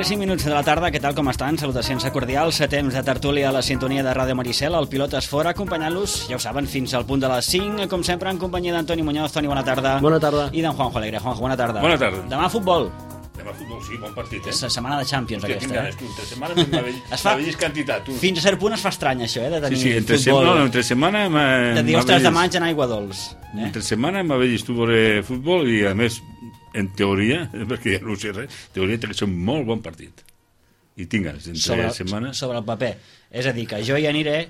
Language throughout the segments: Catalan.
I 5 minuts de la tarda, què tal, com estan? Salutacions cordials, temps de tertúlia a la sintonia de Ràdio Maricel, el Pilotes Fora, acompanyant-los, ja ho saben, fins al punt de les 5, com sempre, en companyia d'Antoni Muñoz. Toni, bona tarda. Bona tarda. I d'en Juanjo Alegre. Juanjo, bona tarda. Bona tarda. Demà futbol. Demà futbol, sí, bon partit, És la setmana de Champions, aquesta. Ganes, tu, entre setmana la vellis quantitat. Tu. Fins a cert punt es fa estrany, això, de tenir entre futbol. Entre setmana... De dir, ostres, demà en aigua dolç. Entre setmana m'ha vist tu veure futbol i, a més, en teoria, perquè ja no sé res, teoria té que ser un molt bon partit. I tinc ganes, entre setmana... Sobre el paper. És a dir, que jo hi aniré,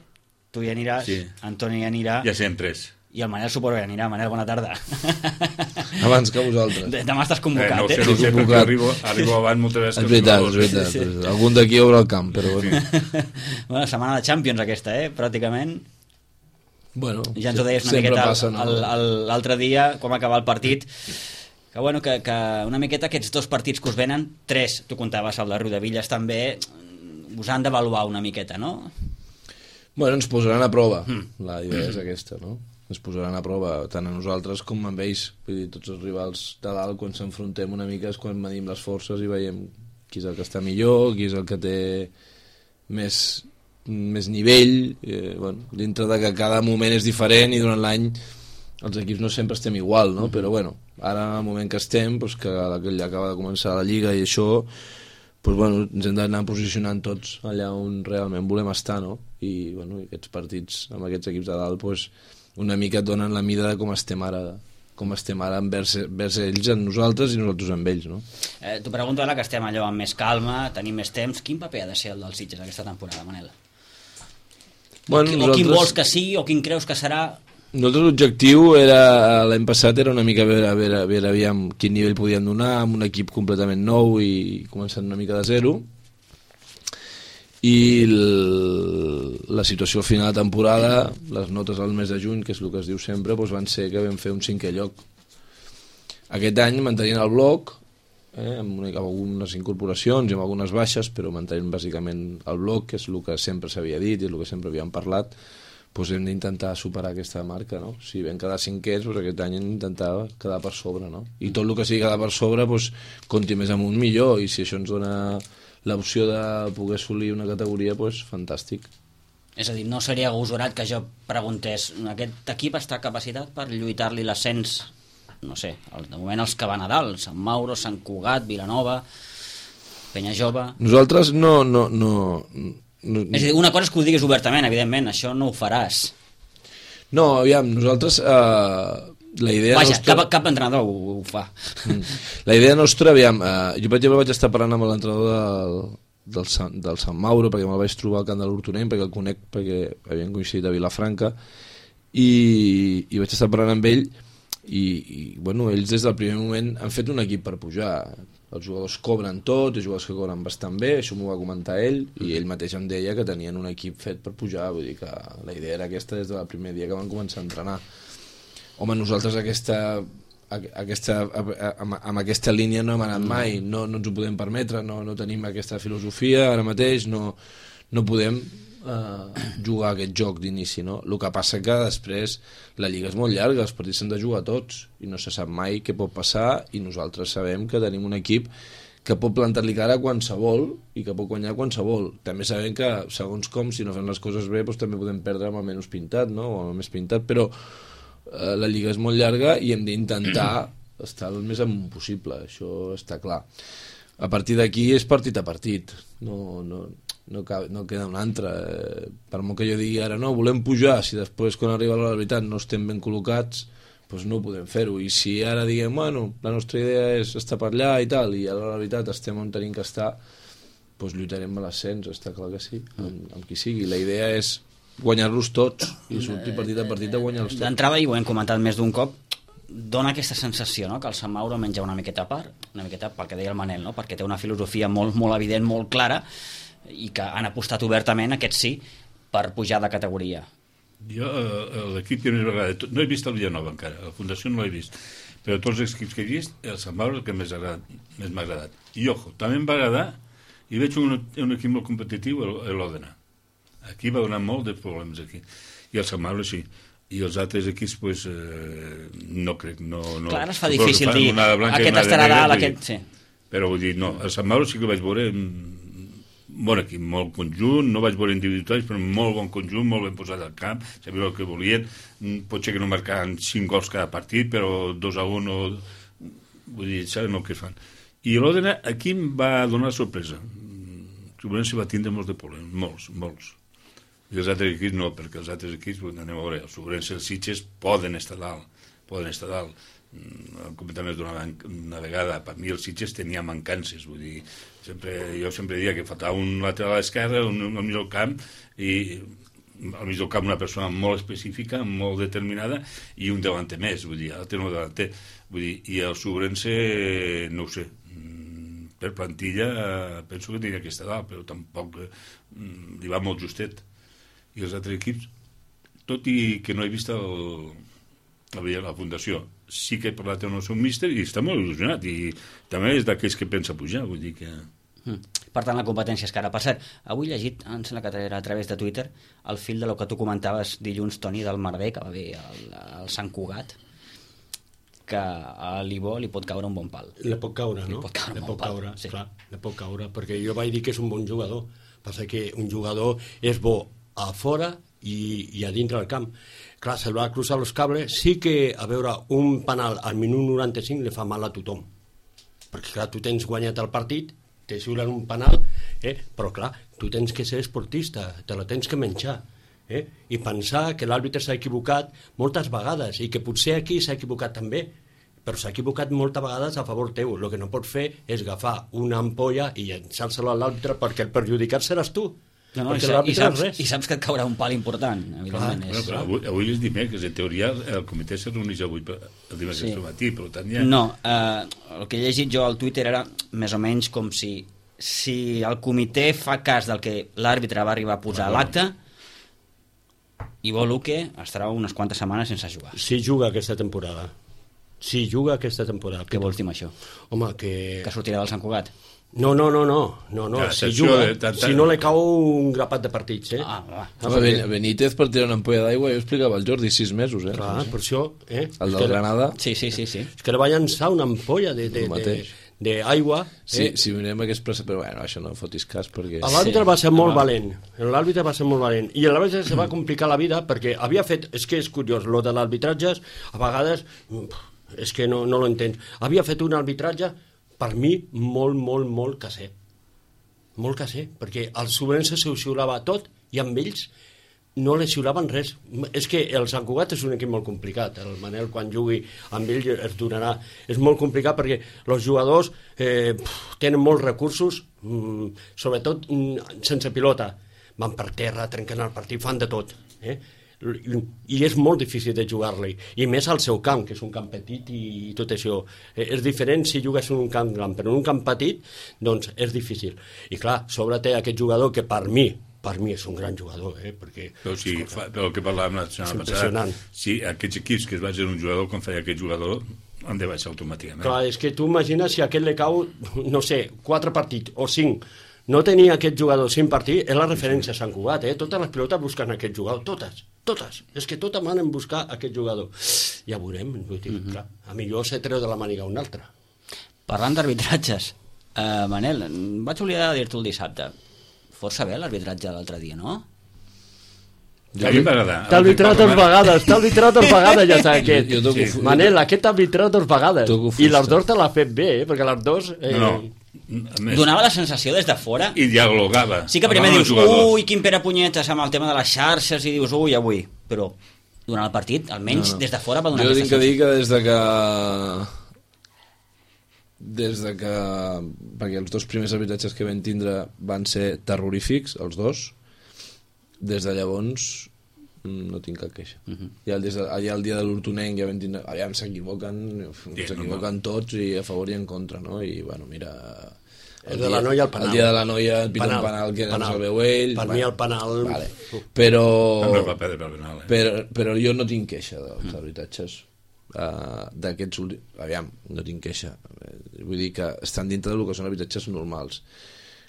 tu hi aniràs, sí. Antoni hi anirà... Ja serem tres. I el Manel suposo que hi anirà. Manel, bona tarda. Abans que vosaltres. Demà estàs convocat, no sé, perquè arribo abans moltes vegades. És veritat. Sí. Algun d'aquí obre el camp, però bueno. Bueno, setmana de Champions aquesta, pràcticament. Bueno, ja ens ho deies una miqueta passa, no? L'altre dia, quan va acabar el partit... Que, bueno, que una miqueta aquests dos partits que us venen, tres, tu contaves el de Riudevilles també, us han d'avaluar una miqueta, no? Bueno, ens posaran a prova, la idea és aquesta, no? Ens posaran a prova tant a nosaltres com amb ells, vull dir, tots els rivals de dalt, quan s'enfrontem una mica és quan medim les forces i veiem qui és el que està millor, qui és el que té més nivell, bueno, dintre de que cada moment és diferent i durant l'any els equips no sempre estem igual, no? Però bueno, ara en el moment que estem, doncs que ja acaba de començar la Lliga i això, doncs bueno, ens hem d'anar posicionant tots allà on realment volem estar, no? I bueno, aquests partits amb aquests equips de dalt, doncs una mica et donen la mida de com estem ara envers ells en nosaltres i nosaltres amb ells, no? T'ho pregunto ara que estem allò amb més calma, tenim més temps, quin paper ha de ser el dels Sitges aquesta temporada, Manel? Bueno, o quin vols que sigui, o quin creus que serà? Nosaltres l'objectiu era, l'any passat era una mica veure aviam quin nivell podíem donar amb un equip completament nou i començant una mica de zero, i la situació al final de temporada, les notes al mes de juny, que és el que es diu sempre, doncs van ser que vam fer un 5è lloc. Aquest any mantenint el bloc, amb algunes incorporacions i amb algunes baixes, però mantenint bàsicament el bloc, que és el que sempre s'havia dit i és el que sempre havíem parlat, doncs hem d'intentar superar aquesta marca, no? Si vam quedar 5è, doncs aquest any hem d'intentar quedar per sobre, no? I tot el que sigui quedar per sobre, doncs compti més amunt millor, i si això ens dona l'opció de poder assolir una categoria, doncs fantàstic. És a dir, no seria agosarat que jo preguntés, aquest equip està capacitat per lluitar-li l'ascens, no sé, de moment els que van a dalt, Sant Mauro, Sant Cugat, Vilanova, Penyajove... Nosaltres no... És a dir, una cosa és que ho diguis obertament, evidentment, això no ho faràs. No, aviam, nosaltres... la idea Vaja, nostra... cap entrenador ho fa. La idea nostra, aviam, jo per exemple vaig estar parlant amb l'entrenador del Sant Mauro, perquè me'l vaig trobar al camp de l'Hortonenc, perquè el conec, perquè havíem coincidit a Vilafranca, i vaig estar parlant amb ell, i bueno, ells des del primer moment han fet un equip per pujar. Els jugadors cobren tot, els jugadors que cobren bastant bé, això m'ho va comentar ell, i ell mateix em deia que tenien un equip fet per pujar, vull dir que la idea era aquesta des del primer dia que van començar a entrenar. Home, nosaltres amb aquesta línia no hem anat mai, no ens ho podem permetre, no tenim aquesta filosofia ara mateix, no podem jugar aquest joc d'inici, no? El que passa que després la Lliga és molt llarga, els partits s'han de jugar tots i no se sap mai què pot passar, i nosaltres sabem que tenim un equip que pot plantar-li cara a qualsevol i que pot guanyar qualsevol. També sabem que, segons com, si no fem les coses bé, doncs també podem perdre amb el menys pintat, no? O amb el més pintat, però la Lliga és molt llarga i hem d'intentar estar el més amunt possible, això està clar. A partir d'aquí és partit a partit, no queda un altre. Per molt que jo digui ara no, volem pujar, si després quan arriba la veritat no estem ben col·locats, doncs no podem fer-ho. I si ara diguem, bueno, la nostra idea és estar per allà i tal, i a la veritat estem on tenim que estar, doncs lluitarem a l'ascens, està clar que sí, amb qui sigui. La idea és guanyar-los tots i sortir partit a partit a guanyar-los tots. D'entrada, i ho hem comentat més d'un cop, dona aquesta sensació, no?, que el Sant Mauro menja una miqueta a part, una miqueta pel que deia el Manel, no?, perquè té una filosofia molt, molt evident, molt clara, i que han apostat obertament, aquest sí, per pujar de categoria. Jo, l'equip que més m'agrada, no he vist el Villanova encara, la Fundació no l'he vist, però tots els equips que he vist, el Sant Mauro és el que més m'ha agradat. I, ojo, també em va agradar, i veig un equip molt competitiu, l'Òdena. Aquí va donar molt de problemes, aquí. I el Sant Mauro, sí. I els altres equips, pues, no crec, no... Clar, es fa difícil dir, aquest estarà dalt, aquest... Sí. Però vull dir, no, el Sant Mauro sí que vaig veure bon equip, molt conjunt, no vaig veure individuals, però molt bon conjunt, molt ben posat al camp, sabien el que volien, potser que no marcaven 5 gols cada partit, però 2-1, vull dir, saben el que fan. I l'Òdena aquí em va donar sorpresa. Segurament se va tindre molts de problemes, molts. I els altres equips no, perquè els altres equips, anem a veure, els Sobrense i els Sitges poden estar dalt. El comentari d'una vegada, per mi els Sitges tenia mancances, vull dir, jo sempre diria que faltava un lateral a l'esquerra, un al mig del camp, i al mig del camp una persona molt específica, molt determinada, i un delanter més, vull dir, l'altre no delanter, vull dir, i el Sobrense, no ho sé, per plantilla penso que tenia que estar dalt, però tampoc li va molt justet. I els altres equips, tot i que no he vist la Fundació, sí que he parlat amb el seu míster i està molt il·lusionat, i també és d'aquells que pensa pujar, vull dir que... Per tant, la competència és cara. Per cert, avui he llegit, em sembla que era a través de Twitter, el fil de lo que tu comentaves dilluns, Toni, del Merder, que va bé al Sant Cugat, que a l'Ivo li pot caure un bon pal. Le pot caure, no? Le pot caure, sí. Clar, le pot caure, perquè jo vaig dir que és un bon jugador. Passa que un jugador és bo a fora i a dintre del camp. Clar, se'l va cruzar els cables, sí que, a veure, un penal al minut 95 li fa mal a tothom. Perquè, clar, tu tens guanyat el partit, te xiulen un penal, però, clar, tu tens que ser esportista, te la tens que menjar. I pensar que l'àrbitre s'ha equivocat moltes vegades, i que potser aquí s'ha equivocat també, però s'ha equivocat moltes vegades a favor teu. El que no pots fer és agafar una ampolla i llançar-se-la a l'àrbitre, perquè el perjudicat seràs tu. No, i saps que et caurà un pal important, evidentment. Però avui és dimecres, en teoria el comitè se reuneix avui el dimecres al matí, per tant ja... No, el que he llegit jo al Twitter era més o menys com si el comitè fa cas del que l'àrbitre va arribar a posar a l'acte, Ivo Luque estarà unes quantes setmanes sense jugar. Si juga aquesta temporada. Què vols dir amb això? Home, que sortirà del Sant Cugat? No. Si juga, si no li cau un grapat de partits, Benítez per tirar una ampolla d'aigua, jo explicava al Jordi 6 mesos, Clar, per això, El del Granada. Sí. És que li va llançar una ampolla d'aigua. Si mirem aquest pressa, però bueno, això no fotis cas, perquè... L'àrbitre va ser molt valent. I l'àrbitre se va complicar la vida perquè havia fet... És que és curiós, lo de l'arbitratge, a vegades, és que no lo entens. Havia fet un arbitratge per mi molt caser. Molt caser, perquè el Sobrense se ho xiulava tot i amb ells no li xiulaven res. És que el Sant Cugat és un equip molt complicat. El Manel, quan jugui amb ell, es donarà. És molt complicat perquè els jugadors tenen molts recursos, sobretot sense pilota. Van per terra, trenquen el partit, fan de tot. I és molt difícil de jugar-li, i més al seu camp, que és un camp petit i tot això. És diferent si jugues en un camp gran, però en un camp petit doncs és difícil. I clar, sobre té aquest jugador que per mi és un gran jugador, perquè... Però el que parlàvem la setmana passada, si aquests equips que es basen en un jugador, com feia aquest jugador, han de baixar automàticament. Clar, és que tu imagines si a aquest li cau, no sé, 4 partits o 5, no tenia aquest jugador 5 partits, és la referència a Sant Cugat, totes les pilotes busquen aquest jugador, totes, és que totes manen buscar aquest jugador. Ja veurem, clar, a millor se treu de la màniga un altre. Parlant d'arbitratges, Manel, vaig oblidar de dir-t'ho el dissabte, força bé l'arbitratge l'altre dia, no? A mi m'agrada. T'ha arbitrat 2 vegades, ja saps aquest. Jo Manel, aquest t'ha arbitrat 2 vegades. I les 2 te l'ha fet bé, perquè les 2... No. Donava la sensació des de fora. I dialogava. Sí que primer dius, ui, quin pere punyetes amb el tema de les xarxes, i dius, ui, avui. Però durant el partit, almenys des de fora va donar aquesta sensació. Jo tinc que dir que des de que perquè els 2 primers arbitratges que vam tindre van ser terrorífics, els 2, des de llavors no tinc cap queixa. Ja el dia de l'Hortonenc ja vam tindre, aviam, s'equivoquen tots i a favor i en contra, no? I bueno, mira, el de la noia, el penal. El dia de la noia et pita un penal que ens el veu ell. Per mi el penal... Vale. Però jo no tinc queixa dels arbitratges d'aquests últims... Aviam, no tinc queixa. Vull dir que estan dintre del que són arbitratges normals.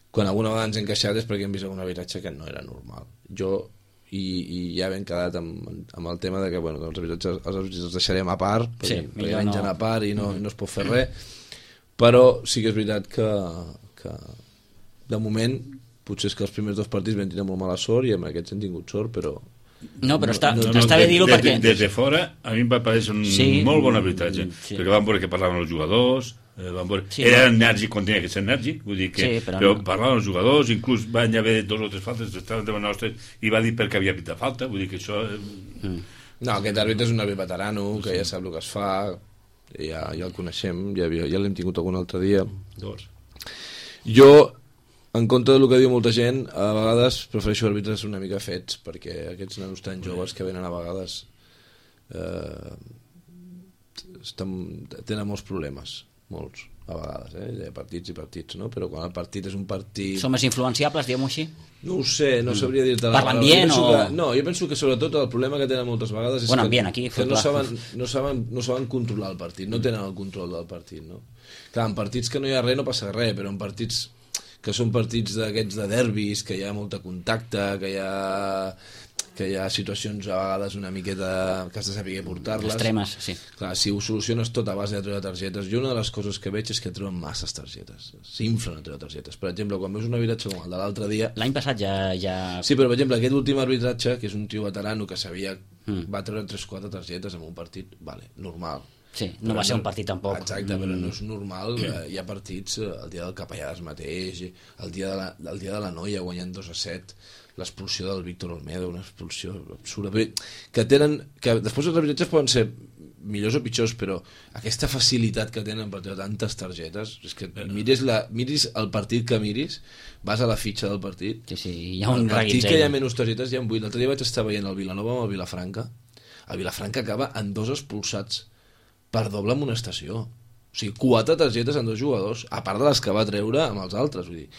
Quan alguna vegada ens hem queixat és perquè hem vist algun arbitratge que no era normal. I ja hem quedat amb el tema de que bueno, els arbitratges els deixarem a part, perquè mengen a part i no es pot fer res, però sí que és veritat que de moment potser és que els primers 2 partits vam tenir molt mala sort i amb aquests hem tingut sort, però no, però està bé dir-ho perquè... Des de fora, a mi em va parèixer un molt bon arbitratge, perquè vam veure que parlaven els jugadors, era enèrgic quan tenia que ser enèrgic, vull dir que però parlaven els jugadors, inclús van haver 2 o 3 faltes, estaven davant nostres i va dir perquè havia pitat falta, vull dir que això... No, aquest àrbitre és un àrbitre veterano que ja sap el que es fa, ja el coneixem, ja l'hem tingut algun altre dia. Jo, en compte del que diu molta gent, a vegades prefereixo àrbitres una mica fets, perquè aquests nanos tan joves que venen a vegades tenen molts problemes, molts, a vegades, hi ha partits i partits, no? Però quan el partit és un partit... Són més influenciables, diguem-ho així? No ho sé, no sabria dir-te... Per l'ambient o...? No, jo penso que sobretot el problema que tenen moltes vegades és que no saben controlar el partit, no tenen el control del partit, no? Clar, en partits que no hi ha res no passa res, però en partits que són partits d'aquests de derbis, que hi ha molta contacte, que hi ha situacions a vegades una miqueta que has de saber portar-les. Extremes, sí. Clar, si ho soluciones tot a base de treure targetes, jo una de les coses que veig és que treuen masses targetes, s'inflen a treure targetes. Per exemple, quan veus un arbitratge com el de l'altre dia... L'any passat ja... Sí, però per exemple, aquest últim arbitratge, que és un tio veterano que sabia... va treure 3-4 targetes en un partit, vale, normal. Sí, no va ser un partit tampoc. Exacte, però no és normal. Hi ha partits, el dia del Capellades mateix, el dia de la noia guanyant 2-7, l'expulsió del Víctor Olmedo, una expulsió absurda. Que després els arbitratges poden ser millors o pitjors, però aquesta facilitat que tenen per treure tantes targetes, és que miris el partit que miris, vas a la fitxa del partit, hi ha un partit que hi ha menys targetes, hi ha 8. L'altre dia vaig estar veient el Vilanova amb el Vilafranca. El Vilafranca acaba en 2 expulsats per doble amonestació. O sigui, 4 targetes en 2 jugadors, a part de les que va treure amb els altres. Vull dir,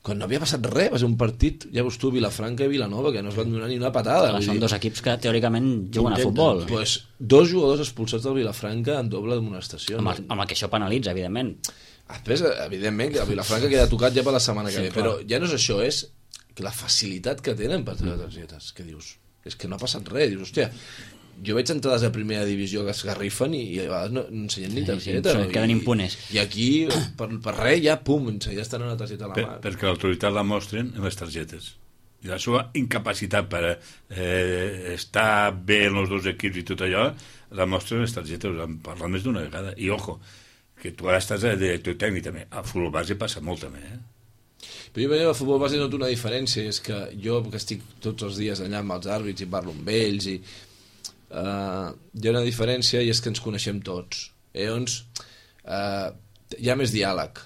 quan no havia passat res, va ser un partit, ja veus tu, Vilafranca i Vilanova, que no es van donar ni una patada. Són 2 equips que teòricament juguen a futbol. Pues 2 jugadors expulsats del Vilafranca en doble amonestació. Amb el que això penalitza, evidentment. Després, evidentment, que el Vilafranca queda tocat ja per la setmana que ve, però ja no és això, és que la facilitat que tenen per treure targetes, que dius, és que no ha passat res, dius, hòstia, jo veig entrades de primera divisió que es garrifen i a vegades no ensenyen ni targeta. Queden impunes. I aquí, per res, ja, pum, ja estan una targeta a la mà. Perquè l'autoritat la mostren en les targetes. I la seva incapacitat per estar bé en els 2 equips i tot allò, la mostren en les targetes, en parlat més d'una vegada. I, ojo, que tu ara estàs de director tècnic també. A futbol base passa molt també, Però jo veia a futbol base noto una diferència, és que jo, que estic tots els dies allà amb els àrbits i parlo amb ells i hi ha una diferència i és que ens coneixem tots. Llavors hi ha més diàleg.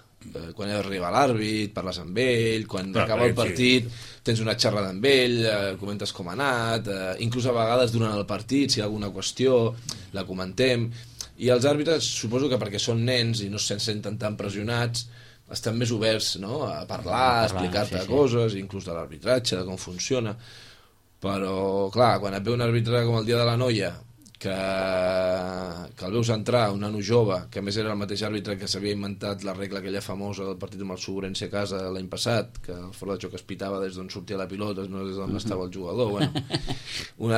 Quan arriba l'àrbit parles amb ell, quan acaba el partit tens una xerrada amb ell, comentes com ha anat, inclús a vegades durant el partit si hi ha alguna qüestió la comentem, i els àrbitres suposo que perquè són nens i no se senten tan pressionats estan més oberts, no? A parlar, a explicar-te coses, inclús de l'arbitratge, de com funciona. Però, clar, quan et ve un àrbitre com el dia de la noia, que el veus entrar, un nano jove, que a més era el mateix àrbitre que s'havia inventat la regla aquella famosa del partit amb el Sobrense a casa l'any passat, que el fora de joc es pitava des d'on sortia la pilota, no des d'on estava el jugador. Bueno, un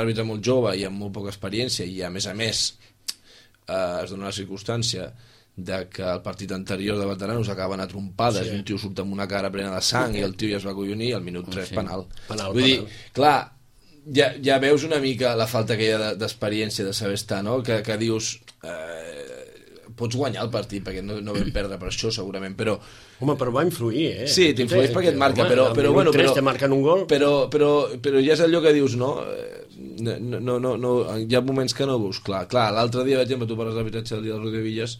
àrbitre molt jove i amb molt poca experiència, i a més es dona la circumstància de que el partit anterior de veteranos acaben a trompades i un tio surt amb una cara plena de sang i el tio ja es va acollonir, al minut 3 penal. Vull dir, clar, ja veus una mica la falta que hi ha d'experiència, de saber estar, no? Que dius... pots guanyar el partit, perquè no vam perdre per això, segurament, però... Home, però va influir, Sí, t'influeix perquè et marca, però bueno... Però te marquen un gol... Però ja és allò que dius, no? No, hi ha moments que no veus clar. Clar, l'altre dia, per exemple, tu parles d'arbitratge del dia del Rodrigo Villas,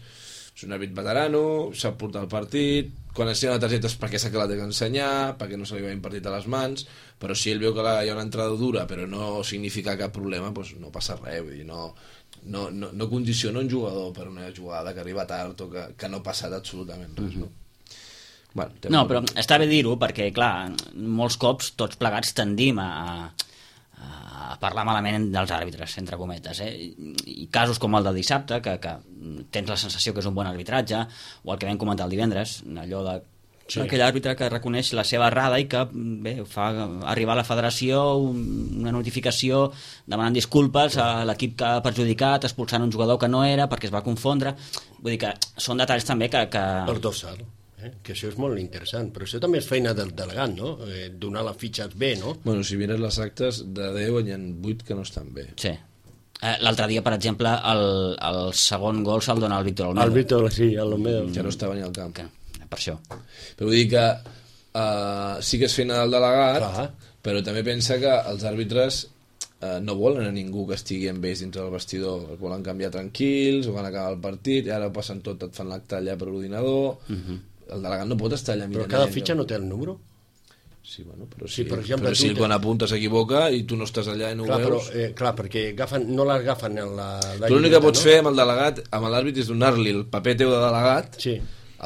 és un àrbit veterano, sap portar el partit, quan ensenya la targeta és perquè sap que la té que ensenyar, perquè no se li va impartit a les mans, però si ell veu que hi ha una entrada dura però no significa cap problema, doncs no passa res, vull dir, no condiciona un jugador per una jugada que arriba tard o que no ha passat absolutament res, no? Bueno, no, però està bé dir-ho perquè, clar, molts cops tots plegats tendim a parlar malament dels àrbitres, entre cometes, i casos com el del dissabte, que tens la sensació que és un bon arbitratge, o el que vam comentar el divendres, allò d'aquell àrbitre que reconeix la seva errada i que fa arribar a la federació una notificació demanant disculpes a l'equip que ha perjudicat, expulsant un jugador que no era perquè es va confondre. Vull dir que són detalls també que... Per dorsal, que això és molt interessant, però això també és feina del delegat, no? Donar les fitxes bé, no? Bueno, si mires les actes, de 10 hi ha 8 que no estan bé. Sí. L'altre dia, per exemple, el segon gol se'l dona al Víctor Olmedo. El Víctor, sí, l'Olmedo. Que no estava ni al camp. Per això. Però vull dir que sí que és feina del delegat, però també pensa que els àrbitres no volen a ningú que estigui amb ells dintre del vestidor, els volen canviar tranquils, o quan acaba el partit, i ara ho passen tot, et fan l'acte allà per ordinador. El delegat no pot estar allà mirant. Però cada fitxa no té el número? Sí, bueno, però sí, per exemple, però si quan apunta s'equivoca i tu no estàs allà i no ho veus... Clar, perquè no l'agafen en la... L'únic que pots fer amb el delegat, amb l'àrbit, és donar-li el paper teu de delegat,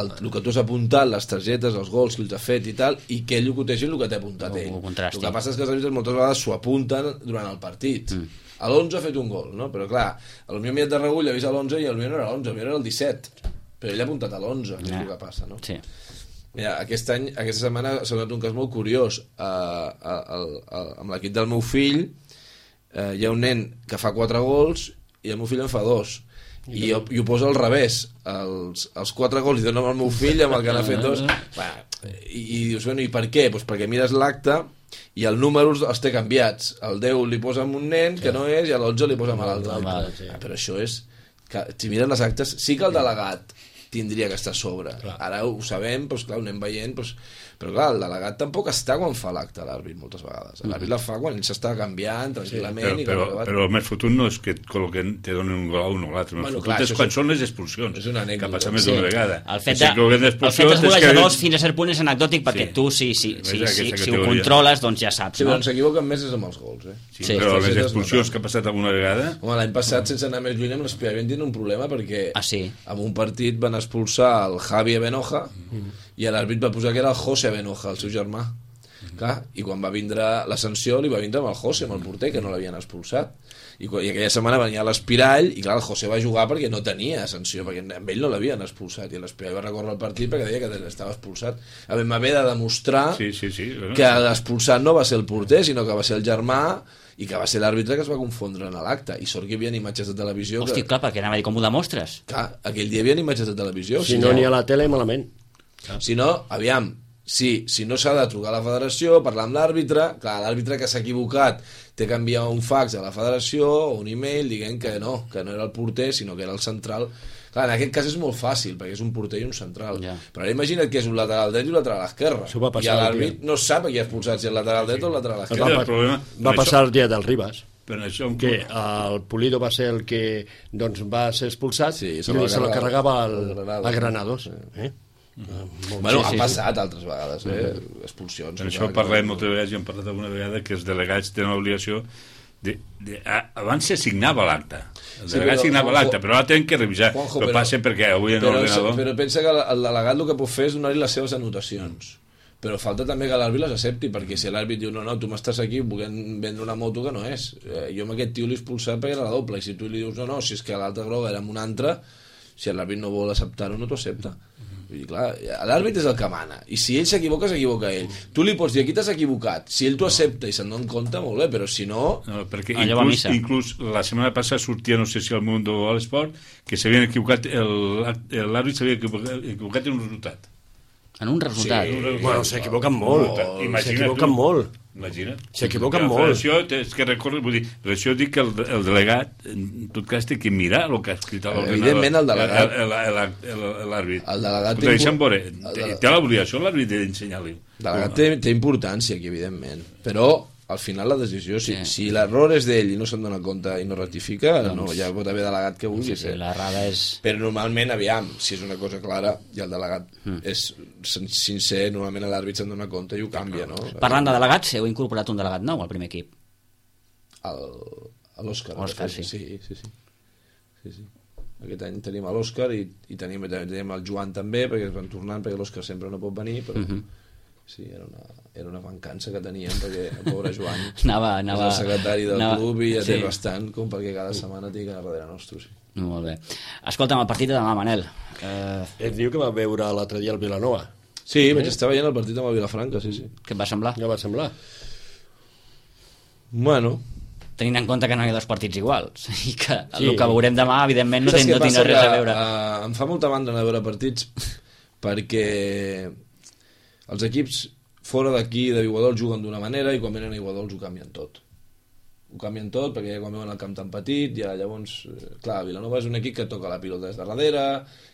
el que tu has apuntat, les targetes, els gols que els ha fet i tal, i que ell ho cotegi el que t'ha apuntat ell. El que passa és que els àrbitres moltes vegades s'ho apunten durant el partit. A l'11 ha fet un gol, no? Però clar, potser mirat de regull ha vist l'11 i potser no era l'11, potser era el 17. Però ell ha apuntat a l'11, que és el que passa, no? Sí. Mira, aquesta setmana s'ha donat un cas molt curiós. Amb l'equip del meu fill hi ha un nen que fa 4 gols i el meu fill en fa 2. I ho posa al revés. Els 4 gols li donen al meu fill amb el que n'ha fet 2. I dius, bueno, i per què? Pues perquè mires l'acte i el número els té canviats. El 10 li posa amb un nen que no és i l'11 li posa amb l'altre. Però això és... Si mires les actes, sí que el delegat tindria que estar a sobre. Ara ho sabem, doncs clar, ho anem veient, doncs... però clar, el delegat tampoc està quan fa l'acte l'àrbit moltes vegades. L'àrbit la fa quan ell s'està canviant tranquil·lament. Però el més fotut no és que et col·loquen, te donen un gol a un o l'altre. El més fotut és quan són les expulsions. És una anècdota. Que passa més d'una vegada. El fet dels golejadors fins a cert punt és anecdòtic perquè tu, si ho controles, doncs ja saps. Sí, però s'equivoquen més és amb els gols. Sí, però les expulsions que ha passat alguna vegada... Home, l'any passat, sense anar més lluny, amb l'Espia vam tenir un problema perquè en un partit van expulsar el Javi Benoja i l'àrbit va posar que era el José Benoja, el seu germà. Clar, i quan va vindre la sanció li va vindre amb el José, amb el porter, que no l'havien expulsat. I aquella setmana venia l'Espirall i clar, el José va jugar perquè no tenia sanció, perquè amb ell no l'havien expulsat, i l'Espirall va recórrer el partit perquè deia que estava expulsat. Vam haver de demostrar que l'expulsat no va ser el porter, sinó que va ser el germà i que va ser l'àrbitre que es va confondre en l'acte. I sort que hi havia imatges de televisió... Hosti, clar, perquè anava a dir, com ho demostres? Clar, aquell dia hi havia imatges de televisió. Si no n'hi ha a la tele, malament. Si no, aviam, si no s'ha de trucar a la federació, parlar amb l'àrbitre, clar, l'àrbitre que s'ha equivocat té que enviar un fax a la federació o un e-mail dient que no era el porter, sinó que era el central. Clar, en aquest cas és molt fàcil, perquè és un porter i un central. Però ara imagina't que és un lateral dret i un lateral esquerre. I l'àrbit no sap qui ha expulsat, si el lateral dret o el lateral esquerre. Va passar el dia del Ribas, que el Pulido va ser el que va ser expulsat i se la carregava a Granados. Bueno, ha passat altres vegades, expulsions. Per això parlem moltes vegades, i hem parlat alguna vegada, que els delegats tenen l'obligació abans se signava l'acte. El delegat signava l'acte, però ara tenen que revisar. Però passa perquè avui en l'ordenador... Però pensa que el delegat el que pot fer és donar-li les seves anotacions. Però falta també que l'àrbit les accepti, perquè si l'àrbit diu no, tu m'estàs aquí volent vendre una moto que no és. Jo amb aquest tio l'he expulsat perquè era la doble, i si tu li dius no, si és que l'altra groga era amb una altra, si l'àrbit no vol acceptar-ho, no t'ho accepta. Vull dir, clar, l'àrbit és el que mana, i si ell s'equivoca ell. Tu li pots dir, aquí t'has equivocat, si ell t'ho accepta i se'n dona compte, molt bé, però si no... perquè inclús la setmana passada sortia, no sé si al Mundo o a l'Esport, que s'havien equivocat, l'àrbit s'havia equivocat en un resultat. En un resultat. Sí. Bueno, s'equivoquen molt. S'equivoquen molt. Imagina't. S'equivoquen molt. La federació és que recórrer, vull dir, per això dic que el delegat, en tot cas, té que mirar el que ha escrit a l'ordinador. Evidentment, el delegat. L'àrbit. El delegat deixa'm veure, té l'obligació l'àrbit d'ensenyar-li. El delegat té importància aquí, evidentment. Però, al final, la decisió, si l'error és d'ell i no se'n dona compte i no rectifica, no, ja pot haver delegat que vulgui ser. L'errada és... Però normalment, aviam, si és una cosa clara i el delegat és sincer, normalment l'àrbit se'n dona compte i ho canvia, no? Parlant de delegats, heu incorporat un delegat nou al primer equip. L'Òscar. Òscar, sí. Sí. Aquest any tenim l'Òscar i tenim el Joan també, perquè es van tornant, perquè l'Òscar sempre no pot venir, però... Sí, era una mancança que teníem, perquè el pobre Joan és el secretari del club i ja té bastant, com perquè cada setmana tingui a darrere nostre. Sí. Molt bé. Escolta'm, el partit de demà, Manel. Et diu que va veure l'altre dia el Vilanova. Sí, vaig estar veient el partit amb el Vilafranca, sí. Què et va semblar? Què va semblar? Bueno... Tenint en compte que no hi ha dos partits iguals i que el que veurem demà, evidentment, no tindrà res a veure. Em fa molta mandra anar a veure partits perquè els equips fora d'aquí de Iguadols juguen d'una manera i quan venen a Iguadols ho canvien tot. Ho canvien tot perquè quan veuen el camp tan petit ja llavors, clar, Vilanova és un equip que toca la pilota des de darrere,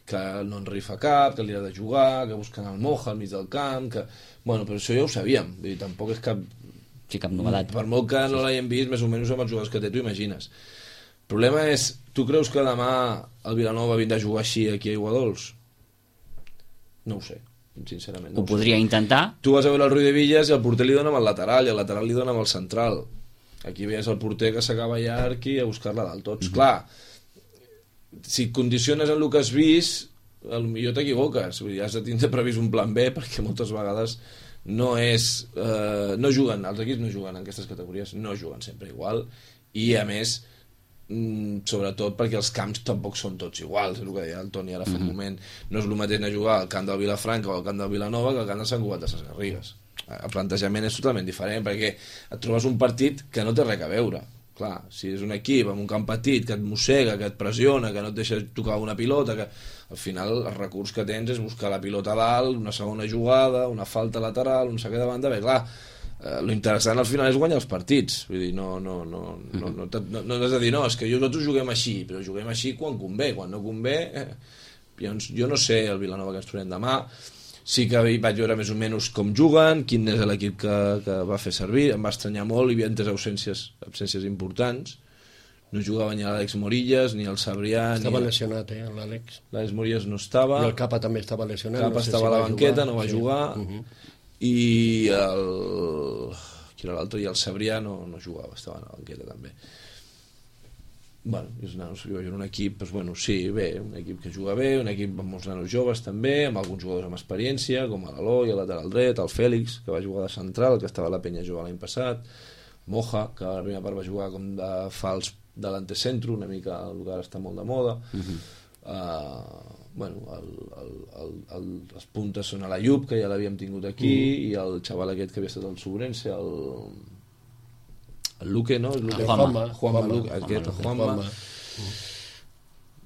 que no en rifa cap, que li ha de jugar, que busquen el Moja al mig del camp, que... Bueno, però això ja ho sabíem, vull dir, tampoc és cap... Sí, cap novedat. Per molt que no l'hagin vist, més o menys amb els jugadors que té, t'ho imagines. El problema és, tu creus que demà el Vilanova vindrà a jugar així aquí a Iguadols? No ho sé, sincerament. Ho podria intentar. Tu vas a veure el Rui de Villas i el porter li dona amb el lateral i el lateral li dona amb el central. Aquí veies el porter que s'acaba llarg i a buscar-la dalt tots. Clar, si et condiciones en el que has vist, potser t'equivoques. Vull dir, has de tindre previst un plan B perquè moltes vegades no és... no juguen, els equips no juguen en aquestes categories, no juguen sempre igual i a més sobretot perquè els camps tampoc són tots iguals, és el que deia el Toni ara fa un moment, no és el mateix anar a jugar al camp del Vilafranca o al camp del Vilanova que al camp de Sant Cugat de Ses Garrigues. El plantejament és totalment diferent perquè et trobes un partit que no té res a veure. Clar, si és un equip amb un camp petit que et mossega, que et pressiona, que no et deixa tocar una pilota, que al final el recurs que tens és buscar la pilota a dalt, una segona jugada, una falta lateral, un saque de banda, bé, clar, lo interessant al final és guanyar els partits, vull dir, no has de dir, no, és que nosaltres juguem així, però juguem així quan convé, quan no convé, jo no sé el Vilanova que ens trobem demà, sí que vaig veure més o menys com juguen, quin és l'equip que va fer servir, em va estranyar molt, hi havia tres absències importants, no jugava ni l'Àlex Morillas, ni el Sabrià... Estava lesionat, l'Àlex. L'Àlex Morillas no estava. I el Capa també estava lesionat. Capa estava a la banqueta, no va jugar. I qui era l'altre? I el Sabrià no jugava, estava a la banqueta també. Bueno, és un equip, doncs, bueno, sí, bé, un equip que juga bé, un equip amb molts nanos joves també, amb alguns jugadors amb experiència, com l'Eloi, el lateral dret, el Fèlix, que va jugar de central, que estava a la Penya jugant l'any passat, Moja, que a la primera part va jugar com de fals de l'antecentro, una mica el que ara està molt de moda. Bueno, les puntes són a la Llup, que ja l'havíem tingut aquí, i el xaval aquest que havia estat al Sobrense, el Luque, no? Juanma.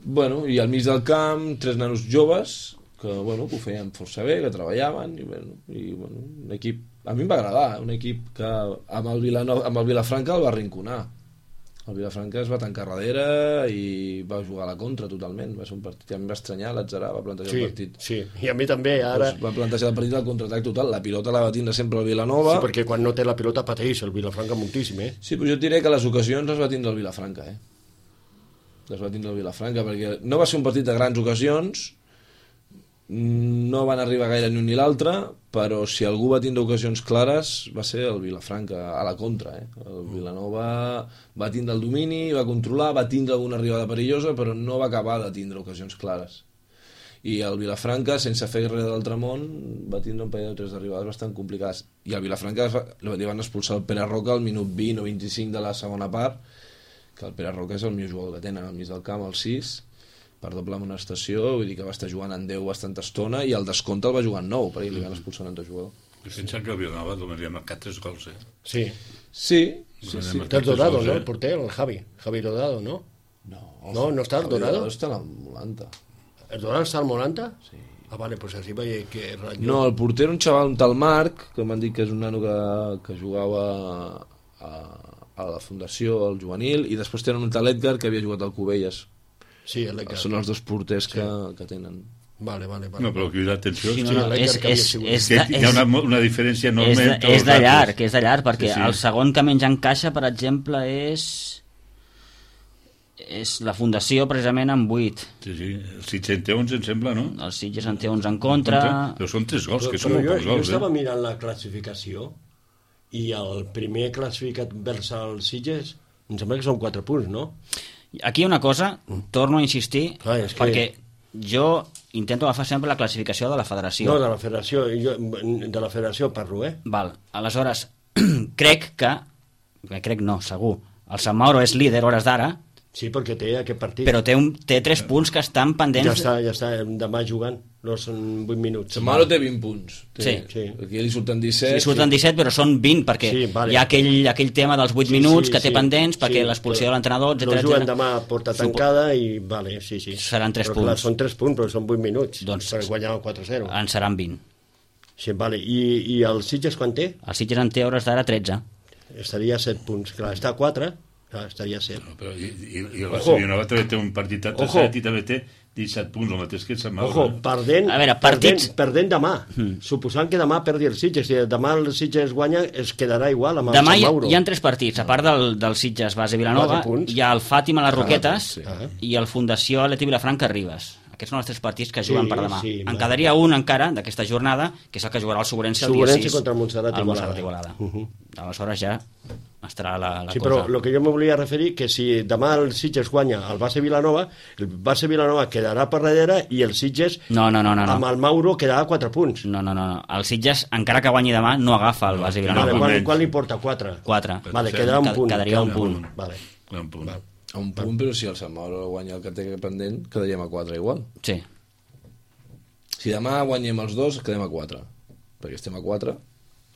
Bueno, i al mig del camp, tres nanos joves que ho feien força bé, que treballaven, i un equip... A mi em va agradar, un equip que amb el Vilafranca el va arrinconar. El Vilafranca es va tancar darrere i va jugar a la contra totalment. Va ser un partit que a mi va estranyar, l'Atzarà va plantejar el partit. Sí, i a mi també, ara... Va plantejar el partit al contraatac total. La pilota la va tindre sempre el Vilanova. Sí, perquè quan no té la pilota pateix el Vilafranca moltíssim, Sí, però jo et diré que les ocasions les va tindre el Vilafranca, Les va tindre el Vilafranca, perquè no va ser un partit de grans ocasions, no van arribar gaire ni un ni l'altre, però si algú va tindre ocasions clares va ser el Vilafranca, a la contra. El Vilanova va tindre el domini, va controlar, va tindre alguna arribada perillosa, però no va acabar de tindre ocasions clares. I el Vilafranca, sense fer res de l'altre món, va tindre un parell de tres arribades bastant complicades. I el Vilafranca li van expulsar el Pere Roca al minut 20 o 25 de la segona part, que el Pere Roca és el millor jugador que tenen al mig del camp, el 6, per doble amonestació, vull dir que va estar jugant en 10 bastanta estona i el descompte el va jugar en 9 perquè li van expulsar un altre jugador. Pensa que el Vilanova només li ha marcat 3 gols, Sí. Té el Dorado, no? El porter, el Javi Dorado, no? No, No està el Dorado? Està al 90. El Dorado està al 90? Sí. vale, pues així veia que... No, el porter era un xaval, un tal Marc, que m'han dit que és un nano que jugava a la fundació, al juvenil, i després tenen un tal Edgar que havia jugat al Cubelles. Sí, l'Edgar. Són els dos porters que tenen. Vale. No, però cridat l'atenció. Sí, Hi ha una diferència enorme. És de llarg, perquè el segon que menys encaixa, per exemple, és la Fundació, precisament, amb 8. Sí, el Sitges en té 11, em sembla, no? El Sitges en té 11 en contra. Però són 3 gols, que són molt pocs gols. Jo estava mirant la classificació i el primer classificat vers el Sitges em sembla que són 4 punts, no? Aquí hi ha una cosa, torno a insistir, perquè jo intento agafar sempre la classificació de la federació. No, de la federació parlo, Val, aleshores, crec, segur, el Sant Mauro és líder hores d'ara. Sí, perquè té aquest partit. Però té 3 punts que estan pendents. Ja està, demà jugant, no són 8 minuts. Sant Mauro té 20 punts. Sí. Aquí li surten 17. Li surten 17, però són 20, perquè hi ha aquell tema dels 8 minuts que té pendents, perquè l'expulsió de l'entrenador, etc. No juguen demà a porta tancada i sí. Seran 3 punts. Clar, són 3 punts, però són 8 minuts. Doncs per guanyar el 4-0. En seran 20. Sí, vale. I el Sitges quan té? El Sitges en té hores d'ara 13. Estaria a 7 punts. Clar, està a 4... estaria a 7. No, però i el Barcelona també té un partit a 3 i també té 17 punts, el mateix que el Sant Mauro. Perdent demà. Suposant que demà perdi el Sitges. Si demà el Sitges guanya, es quedarà igual amb el demà Sant Mauro. Hi ha 3 partits. A part del Sitges base Vilanova, hi ha el Fàtima les Roquetes i el Fundació Atleti Vilafranca Ribes. Aquests són els 3 partits que juguen per demà. En quedaria un encara d'aquesta jornada, que és el que jugarà el Sobrense el dia 6 contra el Montserrat Igualada. Aleshores ja estarà la cosa. Sí, però el que jo me volia referir que si demà el Sitges guanya el base Vilanova, el base Vilanova quedarà per darrere i el Sitges amb el Mauro quedarà a 4 punts. No. El Sitges, encara que guanyi demà, no agafa el base Vilanova. Quan li porta? 4? 4. Vale, quedarà un punt. Quedaria un punt. Vale. Un punt. A un punt, però si el Sant Mauro guanya el que té pendent, quedaríem a 4 igual. Sí. Si demà guanyem els dos, quedem a 4. Perquè estem a 4.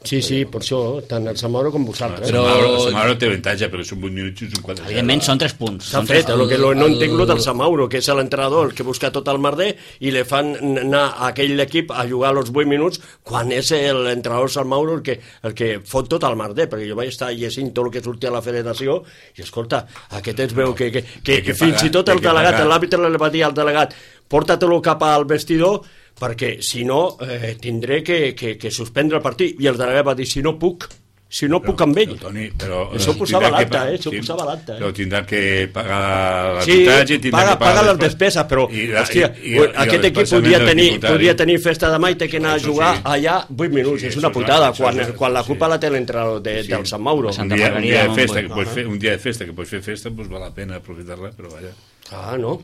Sí, per això, tant el Sant Mauro com vosaltres. Però el Sant Mauro té avantatge, perquè són 8 minuts i són 4. Evidentment són 3 punts. S'ha fet, el que no entenc lo del Sant Mauro, que és l'entrenador el que busca tot el merder i li fan anar a aquell equip a jugar els 8 minuts quan és l'entrenador Sant Mauro el que fot tot el merder, perquè jo vaig estar llegint tot el que sortia a la federació i escolta, aquest es veu que fins i tot el delegat, l'àrbitre li va dir al delegat porta-te-lo cap al vestidor perquè si no tindré que suspendre el partit, i el delegat va dir si no puc amb ell. Toni, però això posava l'acte, però tindran que pagar l'arbitratge, paga les despeses, però aquest equip podria tenir festa demà i té que anar a jugar allà 8 minuts, és una putada quan la culpa la té l'entrenador del Sant Mauro. Un dia de festa que pots fer festa, doncs val la pena aprofitar-la, però vaja. No.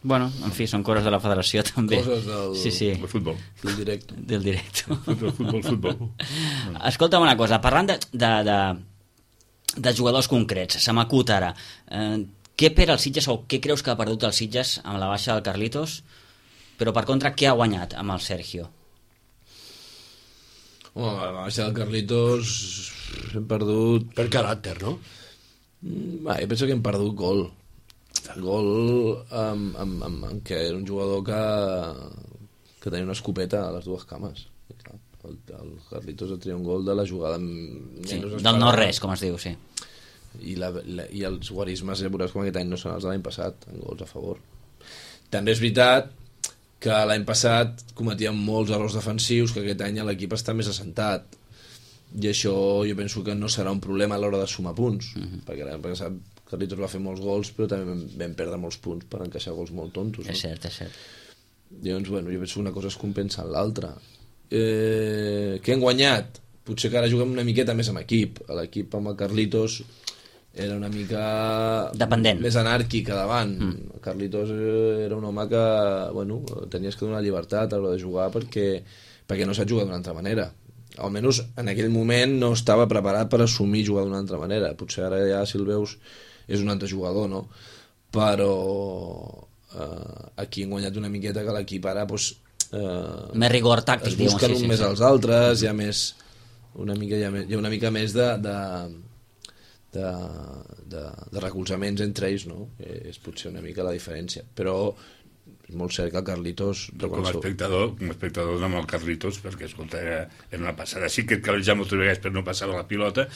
Bueno, en fi, són coses de la federació també. Coses del futbol. Del directo. Futbol. Escolta'm una cosa, parlant de jugadors concrets, se m'acut ara. Què perd el Sitges o què creus que ha perdut el Sitges amb la baixa del Carlitos, però per contra què ha guanyat amb el Sergio? Home, la baixa del Carlitos hem perdut... Per caràcter, no? Jo penso que hem perdut gol que era un jugador que tenia una escopeta a les dues cames. El Carlitos ha tret un gol de la jugada del no-res, com es diu, sí. I els guarismes veuràs com aquest any no són els de l'any passat, en gols a favor. També és veritat que l'any passat cometíem molts errors defensius, que aquest any l'equip està més assentat, i això jo penso que no serà un problema a l'hora de sumar punts, perquè l'any passat Carlitos va fer molts gols, però també vam perdre molts punts per encaixar gols molt tontos. És cert. Llavors, jo penso que una cosa es compensa en l'altra. Què hem guanyat? Potser que ara juguem una miqueta més amb equip. L'equip amb el Carlitos era una mica dependent, més anàrquic a davant. El Carlitos era un home que tenies que donar llibertat a l'hora de jugar perquè no saps jugar d'una altra manera. Almenys en aquell moment no estava preparat per assumir jugar d'una altra manera. Potser ara ja, si el veus, és un altre jugador, no? Però aquí hem guanyat una miqueta que l'equip ara més rigor tàctic, es busquen més als altres, hi ha una mica més de recolzaments entre ells, no? És potser una mica la diferència, però és molt cert que el Carlitos... Com a espectador amb el Carlitos, perquè escolta, era una passada. Sí que calejava moltes vegades per no passar la pilota,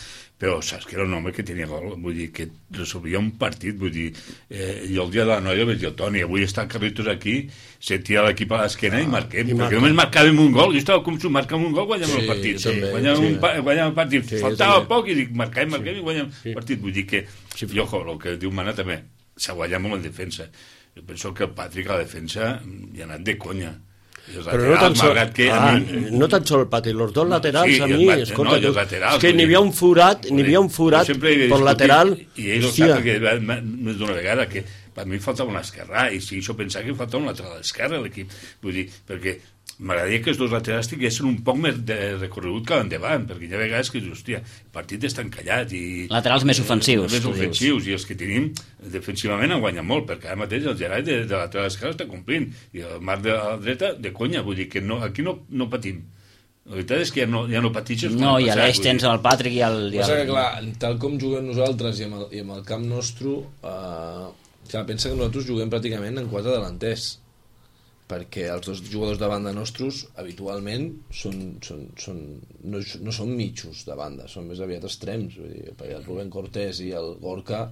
però saps que era un home que tenia gol, vull dir, que resolvia un partit, vull dir, jo el dia de la noia vaig dir al Toni, avui està el Carlitos aquí, sentia l'equip a l'esquena i marquem, perquè només marcàvem un gol, jo estava com si marcàvem un gol, guanyem el partit, guanyem el partit, faltava poc i dic, marquem i guanyem el partit, vull dir que, i ojo, el que diu Mana també, s'ha guanyat molt en defensa. Jo penso que el Patrick a la defensa hi ha anat de conya. Però no tan sol, no tan sol el Patrick, els dos laterals a mi, escolta, és que n'hi havia un forat per lateral. I ell ho sap que més d'una vegada que per mi faltava un esquerrà i si això pensava que faltava un lateral esquerre a l'equip, vull dir, perquè m'agradaria que els dos laterals tinguessin un poc més de recorregut que endavant, perquè hi ha vegades que dius, hòstia, el partit està encallat i... Laterals més ofensius. Més ofensius, i els que tenim defensivament han guanyat molt, perquè ara mateix el Gerai de lateral esquerra està complint, i el Marc de la dreta de conya, vull dir que no, aquí no patim. La veritat és que ja no patixes. No, i a l'eix tens el Patrick i el... Passa que, clar, tal com juguem nosaltres i amb el camp nostre, clar, pensa que nosaltres juguem pràcticament en 4 delanters, perquè els dos jugadors de banda nostres habitualment no són mitjos de banda, són més aviat extrems, vull dir, perquè el Rubén Cortés i el Gorka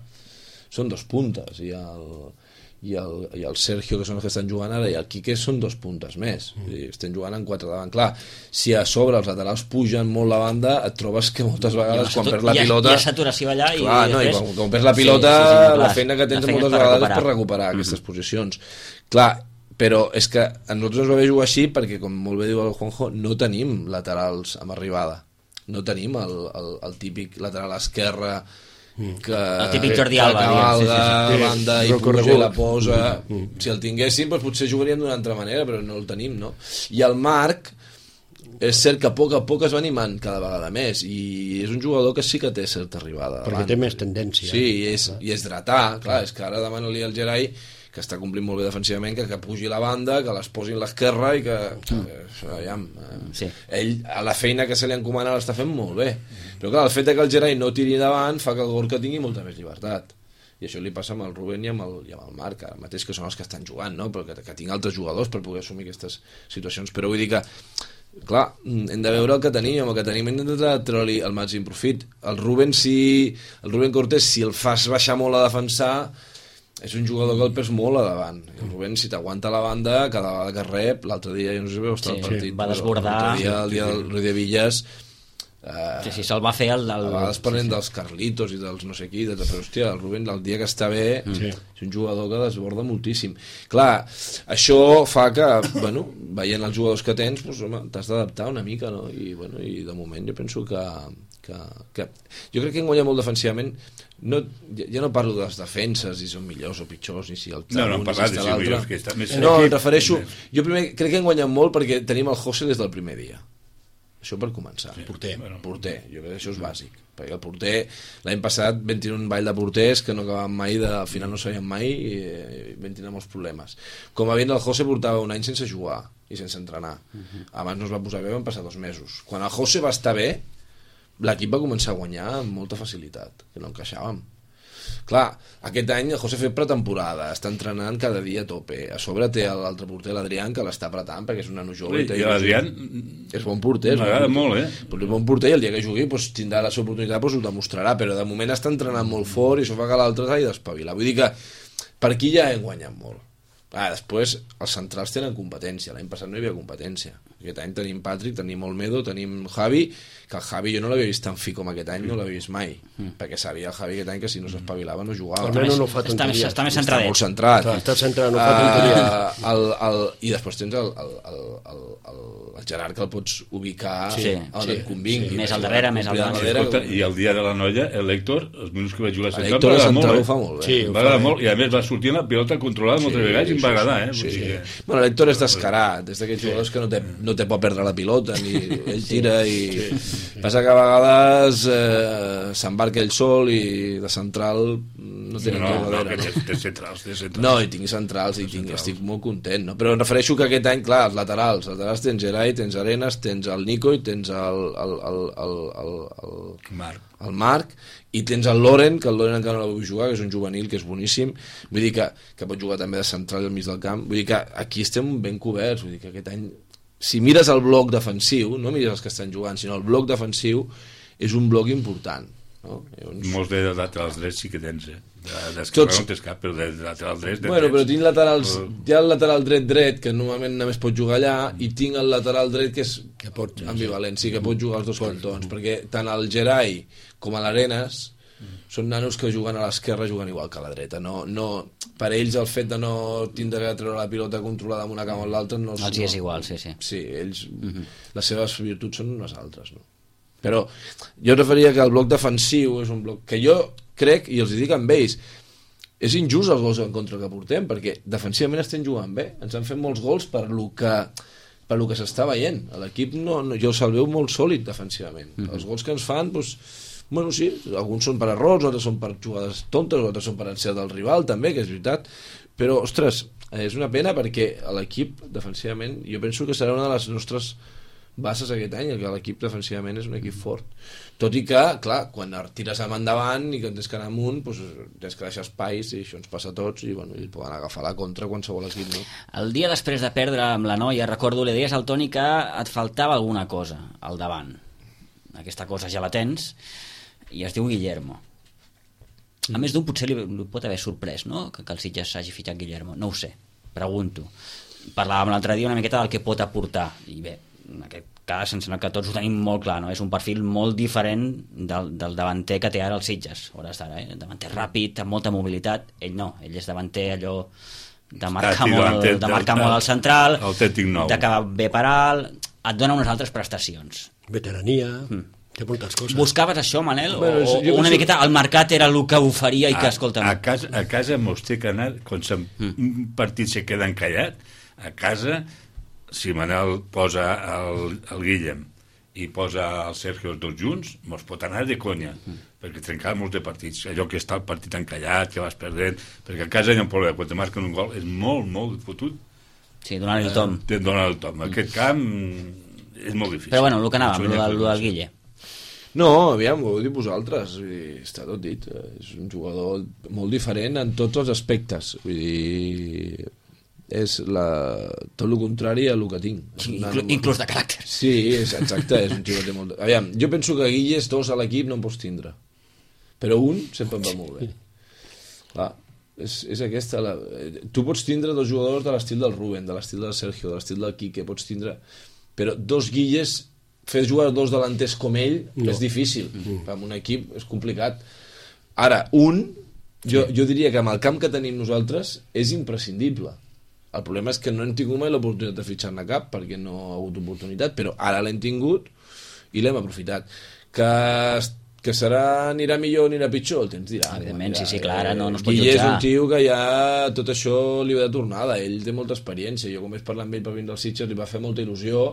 són dos puntes i el Sergio, que són els que estan jugant ara, i el Quique són dos puntes més, vull dir, estem jugant en 4 davant. Clar, si a sobre els laterals pugen molt la banda, et trobes que moltes vegades quan perds la pilota... Hi ha saturació allà i... Clar, no, i quan perds la pilota, la feina que tens moltes vegades és per recuperar aquestes posicions. Clar, però és que a nosaltres ens va bé jugar així perquè, com molt bé diu el Juanjo, no tenim laterals amb arribada, no tenim el típic lateral esquerre que el típic Jordi Alba, banda i puja i la posa. Si el tinguéssim, doncs potser jugaríem d'una altra manera, però no el tenim, no? I el Marc és cert que a poc es va animant cada vegada més, i és un jugador que sí que té certa arribada perquè té més tendència. Sí, i és dretà, clar, és que ara demana-li al Gerai, que està complint molt bé defensivament, que pugi la banda, que les posi a l'esquerra i que ell, a la feina que se li encomana l'està fent molt bé, però clar, el fet que el Gerai no tiri davant fa que el Gorka tingui molta més llibertat, i això li passa amb el Rubén i amb el Marc, ara mateix, que són els que estan jugant, no? Però que tinc altres jugadors per poder assumir aquestes situacions, però vull dir que clar, hem de veure el que tenim, amb el que tenim hem de treure-li el màxim profit. El Rubén Cortés, si el fas baixar molt a defensar, és un jugador que el perd molt a davant. El Rubén, si t'aguanta la banda, cada vegada que rep, l'altre dia, jo no sé si veu estar el partit, va desbordar. El dia del Rui de Villas, se'l va fer a vegades parlem dels Carlitos i dels no sé qui, però hòstia, el Rubén, el dia que està bé, és un jugador que desborda moltíssim. Clar, això fa que, bueno, veient els jugadors que tens, doncs, home, t'has d'adaptar una mica, no? I de moment jo penso que jo crec que hem guanyat molt defensivament. Ja no parlo de les defenses, si són millors o pitjors, ni si el no parlat de si millors que està més... No, em refereixo... Jo primer crec que hem guanyat molt perquè tenim el José des del primer dia. Això per començar. Sí, porter. Jo crec que això és bàsic. Perquè el porter, l'any passat vam tenir un ball de porters que no acabàvem mai, al final no sabíem mai, i vam tenir molts problemes. Com a veient, el José portava un any sense jugar i sense entrenar. Abans no es va posar bé, van passar 2 mesos. Quan el José va estar bé, l'equip va començar a guanyar amb molta facilitat, que no encaixàvem. Clar, aquest any el José ha fet pretemporada, està entrenant cada dia a tope, a sobre té l'altre porter, l'Adrián, que l'està apretant perquè és un nano jove. I l'Adrián és bon porter, m'agrada molt, però és bon porter, i el dia que jugui tindrà la seva oportunitat, ho demostrarà, però de moment està entrenant molt fort i això fa que l'altre s'hagi d'espavilar. Vull dir que per aquí ja hem guanyat molt. Després els centrals tenen competència, l'any passat no hi havia competència, aquest any tenim Patrick, tenim Olmedo, tenim Javi, que el Javi jo no l'havia vist tan fi com aquest any, no l'havia vist mai, perquè sabia el Javi aquest any que si no s'espavilava no jugava. Almenys no fa tonteries. Està més centradet. Està molt centrat. Està centrat, no fa tonteries. I després tens el Gerard, que el pots ubicar on et convingui. Més al darrere, més al darrere. I el dia de la noia, l'Héctor, els minuts que va jugar a central, l'Héctor a central ho fa molt bé. Va agradar molt, i a més va sortir la pilota controlada moltes vegades i em va agradar. Bueno, l'Héctor és descarat, és d'aquells jugadors que no té por perdre la pilota, ni ell tira i passa que a vegades s'embarca ell sol i de central no tenen jugadora, no? Té centrals. No, i tinc centrals, estic molt content, no? Però em refereixo que aquest any, clar, els laterals tens Gerai, tens Arenas, tens el Nico i tens el Marc, i tens el Loren, que el Loren encara no l'ha vull jugar, que és un juvenil, que és boníssim, vull dir que pot jugar també de central al mig del camp, vull dir que aquí estem ben coberts, vull dir que aquest any, si mires el bloc defensiu, no mires els que estan jugant, sinó el bloc defensiu és un bloc important, no? Molts de laterals drets sí que tens, d'esquerra no tens cap, però de lateral dret bueno, però tinc laterals, hi ha el lateral dret que normalment només pot jugar allà, i tinc el lateral dret que és ambivalent, sí, que pot jugar als dos cantons, perquè tant el Gerai com a l'Arenas són nanos que juguen a l'esquerra juguen igual que a la dreta, no, per ells el fet de no tindre que treure la pilota controlada amb una cama o l'altra no, els hi és igual, sí. Sí, ells, les seves virtuts són unes altres, no? Però jo referia que el bloc defensiu és un bloc que jo crec, i els dic amb ells, és injust els gols en contra que portem, perquè defensivament estem jugant bé, ens han fet molts gols per lo que s'està veient. L'equip jo se'l veu molt sòlid defensivament. Els gols que ens fan, doncs, bueno, sí, alguns són per errors, altres són per jugades tontes, altres són per encert del rival, també, que és veritat, però, ostres, és una pena perquè l'equip, defensivament, jo penso que serà una de les nostres bases aquest any, que l'equip defensivament és un equip fort. Tot i que, clar, quan tires amb endavant i que tens que anar amunt, doncs tens que deixar espais, i això ens passa a tots, i bueno, ells poden agafar la contra qualsevol equip, no? El dia després de perdre amb la Noia, recordo, li deies al Toni que et faltava alguna cosa al davant. Aquesta cosa ja la tens, i es diu Guillermo. A més d'un potser li pot haver sorprès, no?, que el Sitges s'hagi fitxat Guillermo. No ho sé, pregunto. Parlàvem l'altre dia una miqueta del que pot aportar, i bé, en aquest cas em sembla que tots ho tenim molt clar, no? És un perfil molt diferent del davanter que té ara el Sitges, hores d'ara, davanter ràpid, amb molta mobilitat. Ell no, ell és davanter allò de marcar molt al central, d'acabar bé per alt, et dona unes altres prestacions. Veterania, té moltes coses. Buscaves això, Manel? O una miqueta el mercat era el que oferia i que, escolta... A casa mos té que anar, quan un partit se queda encallat, a casa... Si Manel posa el Guillem i posa el Sergio els dos junts, mos pot anar de conya, perquè trencar molts de partits, allò que està el partit encallat, que vas perdent, perquè a casa hi ha un problema, quan te marquen un gol és molt, molt fotut. Sí, donar-li el tom. Donar el tom. Aquest camp és molt difícil. Però bueno, el que anàvem, el del Guille. No, aviam, ho heu dit vosaltres, està tot dit, és un jugador molt diferent en tots els aspectes, vull dir... és tot el contrari a el que tinc. Inclús de caràcter. Sí, exacte, és un tio que té molt... Aviam, jo penso que Guilles, dos a l'equip no en pots tindre, però un sempre em va molt bé. Clar, és aquesta... Tu pots tindre dos jugadors de l'estil del Rubén, de l'estil del Sergio, de l'estil del Quique, pots tindre... Però dos Guilles, fer jugar dos delanters com ell és difícil. En un equip és complicat. Ara, jo diria que amb el camp que tenim nosaltres és imprescindible. El problema és que no hem tingut mai l'oportunitat de fitxar-ne cap, perquè no ha hagut oportunitat, però ara l'hem tingut i l'hem aprofitat. Que anirà millor o anirà pitjor, el temps dirà. Evidentment, sí, clar, ara no es pot jutjar. Guille és un tio que ja tot això li va de tornada, ell té molta experiència, jo com vaig parlar amb ell per vindre al Sitges li va fer molta il·lusió,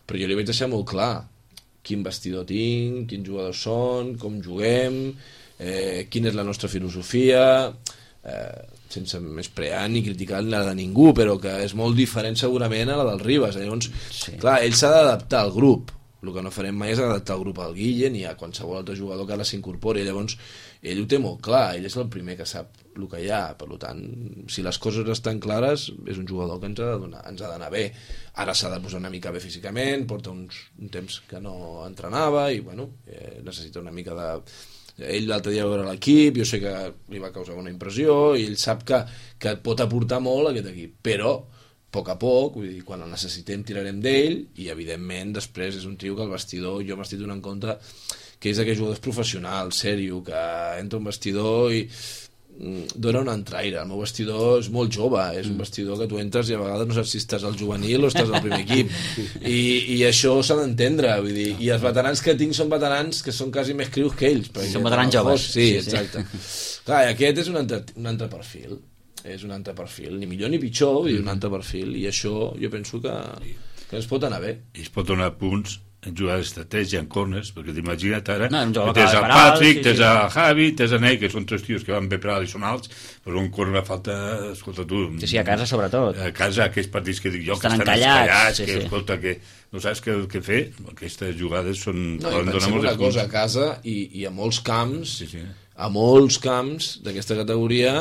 però jo li vaig deixar molt clar quin vestidor tinc, quins jugadors són, com juguem, quina és la nostra filosofia... sense més prear ni criticar la de ningú, però que és molt diferent segurament a la del Ribas. Llavors, clar, ell s'ha d'adaptar al grup. El que no farem mai és adaptar el grup al Guille ni a qualsevol altre jugador que ara s'incorpori. Llavors, ell ho té molt clar, ell és el primer que sap el que hi ha. Per tant, si les coses estan clares, és un jugador que ens ha d'anar bé. Ara s'ha de posar una mica bé físicament, porta un temps que no entrenava i, bueno, necessita una mica de... Ell l'altre dia va veure l'equip, jo sé que li va causar una impressió i ell sap que pot aportar molt a aquest equip, però a poc, vull dir, quan el necessitem tirarem d'ell i evidentment després és un tio que el vestidor, jo m'estic donant compte que és d'aquells jugadors professionals, sèrio, que entra un vestidor i dona un entraire. El meu vestidor és molt jove, és un vestidor que tu entres i a vegades no saps si estàs al juvenil o estàs al primer equip i això s'ha d'entendre, vull dir, i els veterans que tinc són veterans que són quasi més crius que ells, són veterans joves. Sí, exacte. Clar, aquest és un altre perfil, és un altre perfil, ni millor ni pitjor, vull dir, un altre perfil, i això jo penso que ens pot anar bé. I es pot donar punts en jugades d'estratègia, en corners, perquè t'imagina't ara, No, un jugador tens que va el per alt, Patrick, sí, tens sí. el Javi, tens el Ney, que són 3 tios que van bé per alt i són alts, però un corner falta, escolta tu... Sí, a casa sobretot. A casa, aquells partits que dic jo, Estan que estan encallats, escallats, sí, que, sí. escolta, que no saps què fer, aquestes jugades són... No, i poden donar pensem molts una punts. cosa, a casa i a molts camps, Sí, sí. a molts camps d'aquesta categoria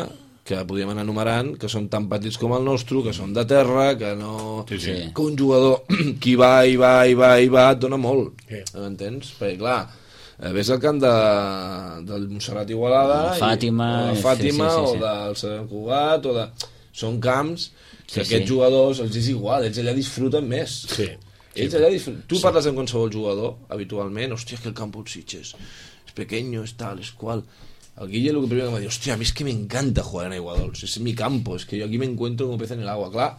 que podríem anar enumerant, que són tan petits com el nostre, que són de terra, que no... Sí, sí. Que un jugador que va, et dona molt, Sí. m'entens? Perquè, clar, ves al camp del Montserrat Igualada, Fàtima, o de Fàtima, sí. o del Sant Cugat, o de... Són camps que Sí, aquests sí. jugadors els és igual, ells allà disfruten més. Sí. Ells allà tu parles amb qualsevol jugador habitualment, hòstia, que el campo de Sitges es pequeño, es tal, es cual. El Guille lo que primero que me dice, hostia, a mí es que me encanta jugar en Aiguadols, es mi campo, es que yo aquí me encuentro como pez en el agua, clar.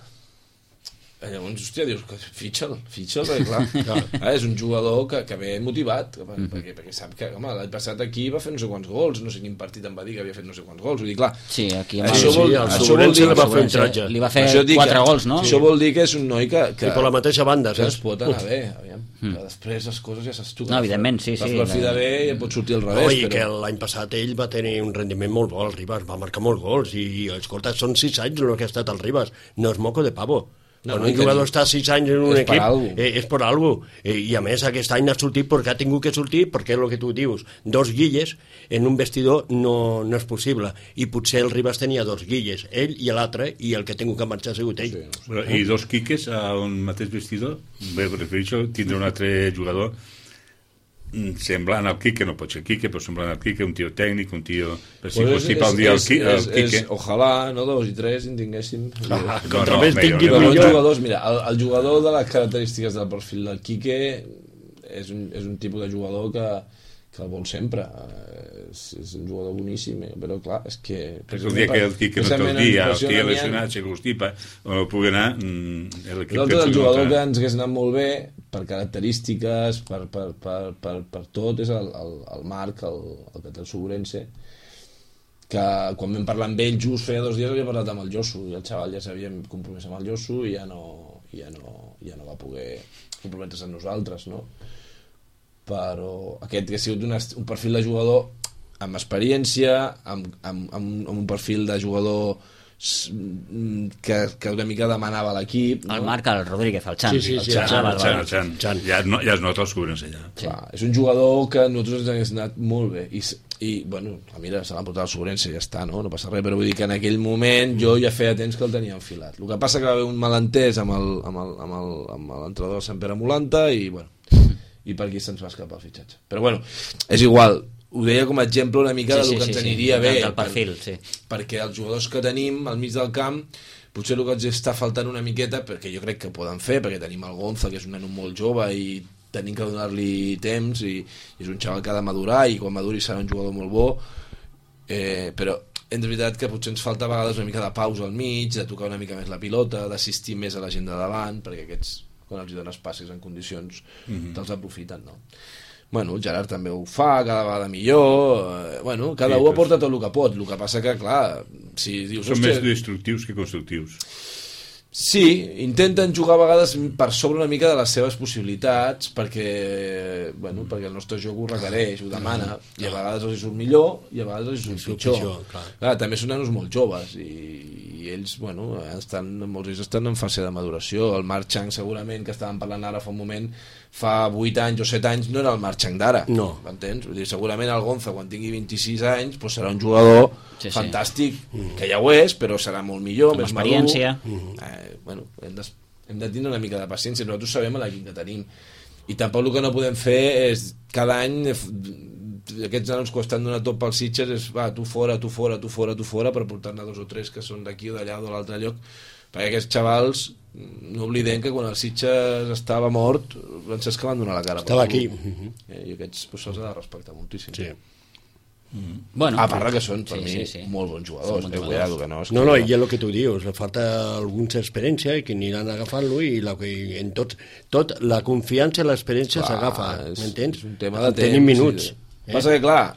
Llavors, hòstia, dius, fitxa'l, perquè clar, és un jugador que ve motivat, perquè sap que, home, l'any passat aquí va fer no sé quants gols, no sé quin partit em va dir que havia fet no sé quants gols, vull dir, clar, Sí, aquí Això vol- el això Sobrense vol dir- li va fer un Sobrense tratge. li va fer això dic 4 que- gols, no? Això vol dir que és un noi que I per la mateixa banda, que es saps? pot anar bé, aviam. Que després les coses ja saps tu. No, evidentment, sí, Vas sí, per fi de bé i et pot sortir al revés, No, i però... que l'any passat ell va tenir un rendiment molt bo, el Ribas, va marcar molts gols, i escolta, són 6 anys el que ha estat el Ribas, no és moco de pavo. No, Quan i un que jugador està 6 anys en un és per equip, algo. és per algo. I a més aquest any ha sortit perquè ha tingut que sortir, perquè és el que tu dius, 2 guilles en un vestidor no és possible, i potser el Ribas tenia 2 guilles, ell i l'altre, i el que ha tingut que marxar ha sigut ell. Bueno, I 2 quiques a un mateix vestidor, bé, prefereixo tindre un altre jugador semblant al Quique, no pot ser Quique, però semblant al Quique, un tio tècnic, un tio... Per si fos tipus el dia el Quique... Ojalà, no 2 i 3 en tinguéssim. Contra no, més millor, tingui no, Però els millor. jugadors, mira, el jugador de les característiques del perfil del Quique és un tipus de jugador que el vol sempre. És un jugador boníssim, però clar, és que... És el dia que el Quique no té el dia, el Quique lesionat, si constipa, o no pugui anar... L'altre del jugador que ens hagués anat molt bé, per característiques, per tot, és el Marc, el que té el Sobrense, que quan vam parlar amb ell just feia 2 dies havia parlat amb el Josu, i el xaval ja s'havia compromès amb el Josu i ja no va poder comprometre's amb nosaltres, no? Però aquest que ha sigut un perfil de jugador amb experiència, amb un perfil de jugador que una mica demanava l'equip, no? El Marc, el Rodríguez, el Xan. Sí, El Xan. Xan. Ja es nota el Sobrense allà. Sí. Clar, és un jugador que a nosaltres ens hagués anat molt bé i bueno, mira, se l'ha portat al Sobrense, ja està, no passa res, però vull dir que en aquell moment jo ja feia temps que el tenia enfilat. El que passa que va haver un malentès amb l'entrenador de Sant Pere Molanta i bueno, i per aquí se'ns va escapar el fitxatge, però bueno, és igual, ho deia com a exemple una mica del que ens aniria bé del perfil, sí. perquè els jugadors que tenim al mig del camp potser el que ens està faltant una miqueta, perquè jo crec que poden fer, perquè tenim el Gonza, que és un nen molt jove i tenim que donar-li temps i és un xaval que ha de madurar i quan maduri serà un jugador molt bo, però és veritat que potser ens falta a vegades una mica de pausa al mig, de tocar una mica més la pilota, d'assistir més a la gent de davant, perquè aquests, quan els dones passes en condicions, te'ls aprofiten, no? Bueno, el Gerard també ho fa, cada vegada millor, bueno, cada un aporta tot el que pot, el que passa que, clar, si dius... Són més destructius que constructius. Sí, intenten jugar a vegades per sobre una mica de les seves possibilitats perquè el nostre joc ho requereix, ho demana, i a vegades els surt millor i a vegades els surt pitjor. Clar, també són nanos molt joves i ells, molts d'ells estan en fase de maduració. El Marc Chang segurament, que estàvem parlant ara fa un moment, fa 8 anys o 7 anys no era el Marc Chang d'ara, m'entens? Vull dir, segurament el Gonza quan tingui 26 anys serà un jugador fantàstic, que ja ho és, però serà molt millor, amb més experiència. Madur. Hem de tindre una mica de paciència, nosaltres sabem l'equip que tenim i tampoc el que no podem fer és cada any aquests nanos que estan donant tot pels Sitges és tu fora per portar-ne 2 o 3 que són d'aquí o d'allà o de l'altre lloc, perquè aquests xavals no oblidem que quan el Sitges estava mort Francesc que van donar la cara estava aquí i aquests se'ls ha de respectar moltíssim. Sí. Bueno, a part que són per mi sí. molt bons jugadors, cuidado, que no, no, i és el que tu dius, li falta alguna experiència i que aniran agafant-lo i en tot la confiança i l'experiència s'agafa, m'entens? És un tema de temps. Tenim minuts. Passa que, clar,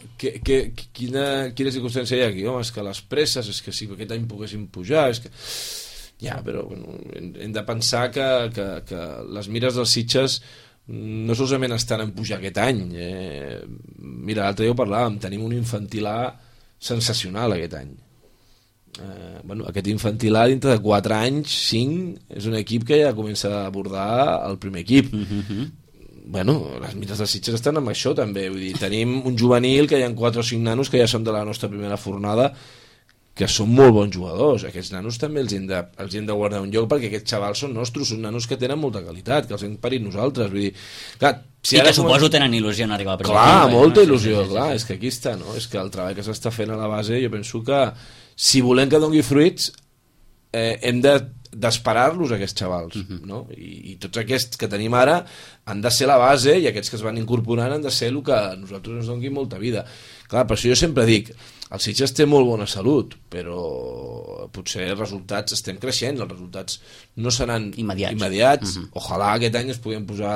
quina circumstància hi ha aquí? Home, és que les presses, és que si aquest any poguéssim pujar, és que... Ja, però bueno, hem de pensar que les mires dels Sitges no solament estan en pujar aquest any. Mira, l'altre dia ho parlàvem, tenim un infantil A sensacional aquest any. Aquest infantil A dintre de 4 anys, 5, és un equip que ja comença a abordar el primer equip. Les Mires de Sitges estan amb això també, vull dir, tenim un juvenil que hi ha 4 o 5 nanos que ja són de la nostra primera fornada, que són molt bons jugadors. Aquests nanos també els hem de guardar un lloc, perquè aquests xavals són nostres, són nanos que tenen molta qualitat, que els hem parit nosaltres, vull dir, clar, i que suposo tenen il·lusió en arribar a primer. Clar, molta il·lusió, clar, és que aquí està, no? És que el treball que s'està fent a la base, jo penso que si volem que doni fruits, hem d'esperar-los aquests xavals, no? I tots aquests que tenim ara han de ser la base, i aquests que es van incorporant han de ser el que a nosaltres ens doni molta vida. Clar, per això jo sempre dic, el Sitges té molt bona salut, però potser els resultats estem creixent, els resultats no seran immediats. Ojalà aquest any es puguem posar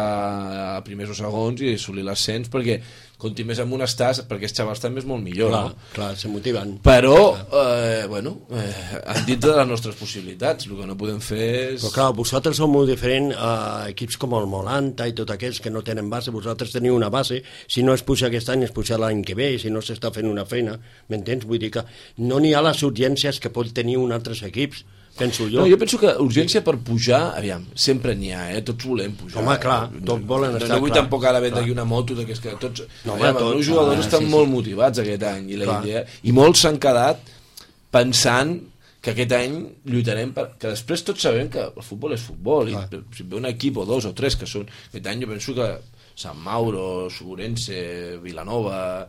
a primers o segons i assolir l'ascens, perquè conti més amb un estàs, perquè els xavals també és molt millor. Clar, se motiven. Però, en dintre de les nostres possibilitats, el que no podem fer és... Però clar, vosaltres sou molt diferent a equips com el Molanta i tots aquells que no tenen base. Vosaltres teniu una base, si no es puja aquest any, es puja l'any que ve, si no s'està fent una feina, m'entens? Vull dir que no n'hi ha les urgències que pot tenir un altres equips, penso jo. No, jo penso que urgència per pujar, aviam, sempre n'hi ha, tots volem pujar. Home, clar, tots volen estar, no vull tampoc ara vendre aquí una moto, que és que tots... Els meus jugadors estan molt motivats aquest any, i molts s'han quedat pensant que aquest any lluitarem, que després tots sabem que el futbol és futbol, i si ve un equip o 2 o 3 que són... Aquest any jo penso que Sant Mauro, Ourense, Vilanova...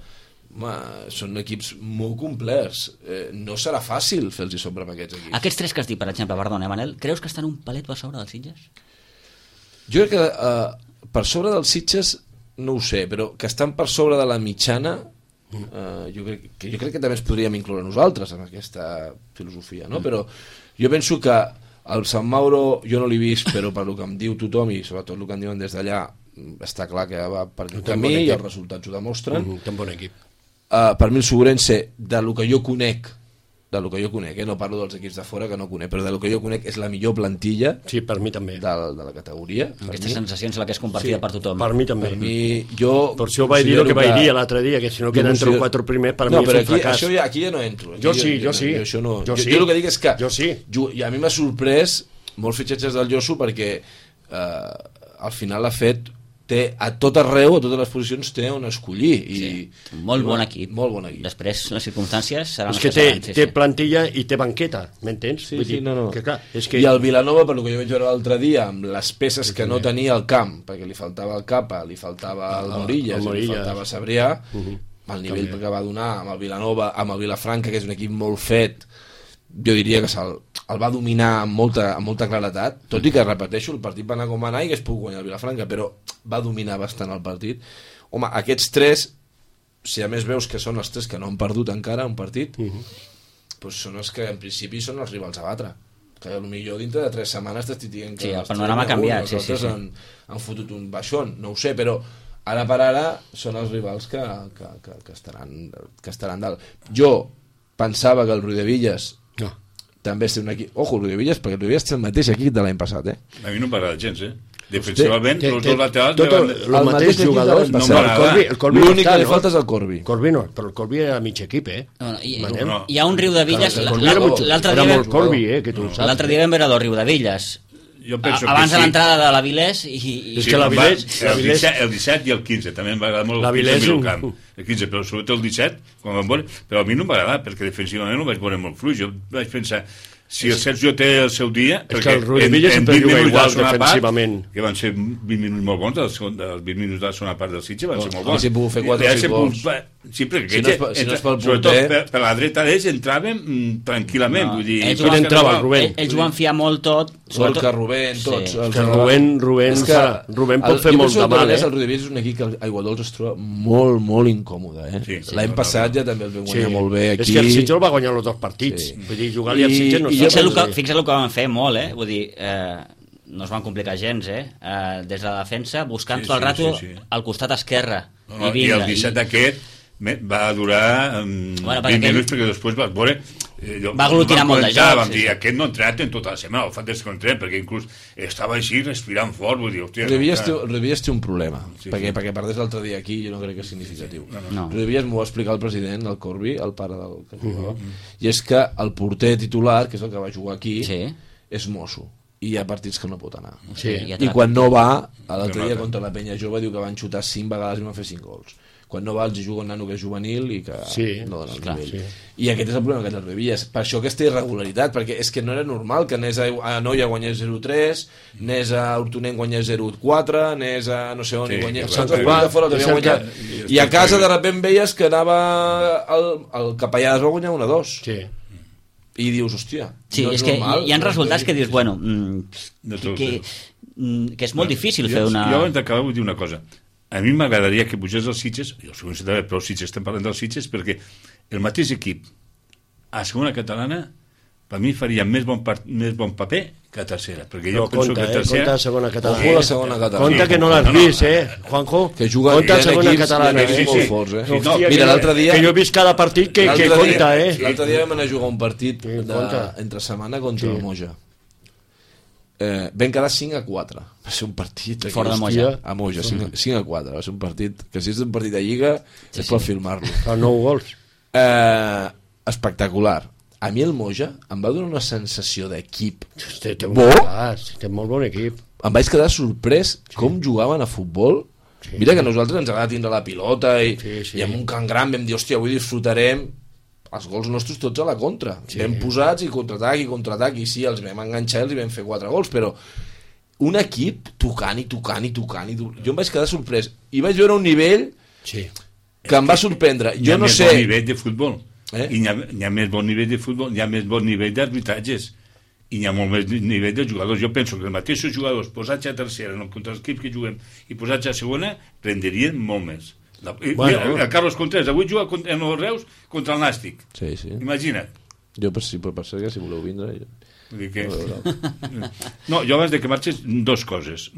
són equips molt complets, no serà fàcil fer-los sobre amb aquests equips. Aquests 3 que has dit, per exemple, perdona, Manel, creus que estan un palet per sobre dels Sitges? Jo crec que per sobre dels Sitges no ho sé, però que estan per sobre de la mitjana, jo crec que també ens podríem incloure nosaltres en aquesta filosofia, no? Però jo penso que el Sant Mauro jo no l'he vist, però per el que em diu tothom i sobretot el que em diuen des d'allà està clar que va per aquest camí i els resultats ho demostren. Té un bon equip. Per mi el Ourense, del que jo conec, no parlo dels equips de fora que no conec, però del que jo conec és la millor plantilla, sí, per mi també, de la categoria. Aquesta sensació és la que és compartida per tothom. Per mi també. Per això vaig dir el que vaig dir l'altre dia, que si no queden entre els 4 primers per mi és un fracàs. Aquí ja no entro. Jo sí. Jo el que dic és que a mi m'ha sorprès molts fitxatges del Josu, perquè al final ha fet a tot arreu, a totes les posicions té on escollir. Molt bon equip. Molt bon equip. Després les circumstàncies seran... És que té plantilla i té banqueta, m'entens? I el Vilanova, per el que jo vaig veure l'altre dia, amb les peces que no tenia al camp, perquè li faltava el Capa, li faltava el Morillas, li faltava Sabrià, el nivell que va donar amb el Vilanova, amb el Vilafranca, que és un equip molt fet, jo diria que el va dominar amb molta claretat, tot i que, repeteixo, el partit va anar com va anar i que es pugui guanyar el Vilafranca, però va dominar bastant el partit. Home, aquests 3, si a més veus que són els 3 que no han perdut encara un partit, doncs són els que en principi són els rivals a batre, que potser dintre de 3 setmanes t'estic dient que el panorama ha canviat, els altres han fotut un baixón, no ho sé, però ara per ara són els rivals que estaran dalt. Jo pensava que el Riudevilles també és un equip... Ojo, el Riudevilles, perquè el Riudevilles té el mateix equip de l'any passat, A mi no m'agrada gens, Defensivament, els dos laterals... El mateix jugador, l'únic que li falta és el Corbi. Corbi no, però el Corbi era mig equip, Hi ha un Riudevilles... L'altre dia vam veure el Riudevilles abans de l'entrada de l'Avilés és que l'Avilés el 17 i el 15 també m'agrada molt el camp, el 15, però sobretot el 17 quan vam veure, però a mi no m'agrada perquè defensivament no vaig veure molt fluix, jo vaig pensar si el Sergio té el seu dia, perquè el Riudevilles sempre juga igual defensivament, que van ser 20 minuts molt bons, els 20 minuts de la segona part del Sitges van ser molt bons. Si pogut fer 4 o 6 gols. Sí, perquè sobretot per la dreta d'ells entraven tranquil·lament, vull dir... Ells ho van fiar molt tot, Solca, Rubén, tots. Que Rubén pot fer molt de mal, El Riudevilles és un equip que a Aiguadols es troba molt, molt incòmode, L'any passat ja també el vam guanyar molt bé aquí. És que el Sitges el va guanyar els 2 partits, vull dir, jugar-li al Sitges no... Fixa't el que van fer molt, vull dir, no es van complicar gens, des de la defensa, buscant tot el rato al costat esquerre. I el 17 aquest va durar 20 minuts, perquè després vas veure Va aglutinar molt de jocs. Vam dir, aquest no ha entrenat en tota la setmana, el fet és que no entrenat, perquè inclús estava així respirant fort, vull dir, hòstia... Revies té un problema, perquè perdés l'altre dia aquí, jo no crec que és significatiu. Revies m'ho va explicar el president, el Corbi, el pare del que jugava, i és que el porter titular, que és el que va jugar aquí, és mosso. I hi ha partits que no pot anar. I quan no va, l'altre dia contra la Penya Jove diu que van xutar 5 vegades i van fer 5 gols. Quan no va els juga un nano que és juvenil i que no dona el nivell. I aquest és el problema que te'l revies. Per això aquesta irregularitat, perquè és que no era normal que anés a Noia guanyés 0-3, anés a Hortonenc guanyés 0-4, anés a no sé on i guanyés... I a casa de sobte veies que anava el Capellades va guanyar 1-2. I dius, hòstia, no és normal. Hi ha resultats que dius, bueno, que és molt difícil fer una... Jo abans d'acabar vull dir una cosa. A mi m'agradaria que pugés els Sitges, jo sé que però Sitges estem parlant dels Sitges, perquè el mateix equip a segona catalana per mi faria més bon paper que a tercera, perquè jo penso que a tercera... Compte a segona catalana. Ojo a la segona catalana. Compte que no l'has vist, Juanjo? Que juguen compte a segona catalana. Molt forts, Mira, l'altre dia... Que jo he vist cada partit que compta, L'altre dia vam anar a jugar un partit entre setmana contra el Moja. Vam quedar 5-4. Va ser un partit fora de Moja. A Moja, 5-4. Va ser un partit que si és un partit de Lliga és per filmar-lo. Fa 9 gols. Espectacular. A mi el Moja em va donar una sensació d'equip té molt bon equip. Em vaig quedar sorprès com jugaven a futbol. Mira que a nosaltres ens agrada tindre la pilota i amb un camp gran vam dir, hòstia, avui disfrutarem els gols nostres tots a la contra. Vam posats i contraatac i sí, els vam enganxar i els vam fer 4 gols, però un equip tocant. Jo em vaig quedar sorprès i vaig veure un nivell que em va sorprendre. Jo no sé... Hi ha més bon nivell de futbol. I hi ha més bon nivell de futbol, hi ha més bon nivell d'arbitratges i hi ha molt més nivell de jugadors. Jo penso que els mateixos jugadors posats a tercera contra els equips que juguem i posats a segona rendirien molt més. El Carlos Contreras avui juga en els Reus contra el Nàstic. Imagina't. Jo per ser que si voleu vindre no, jo abans que marxes 2 coses.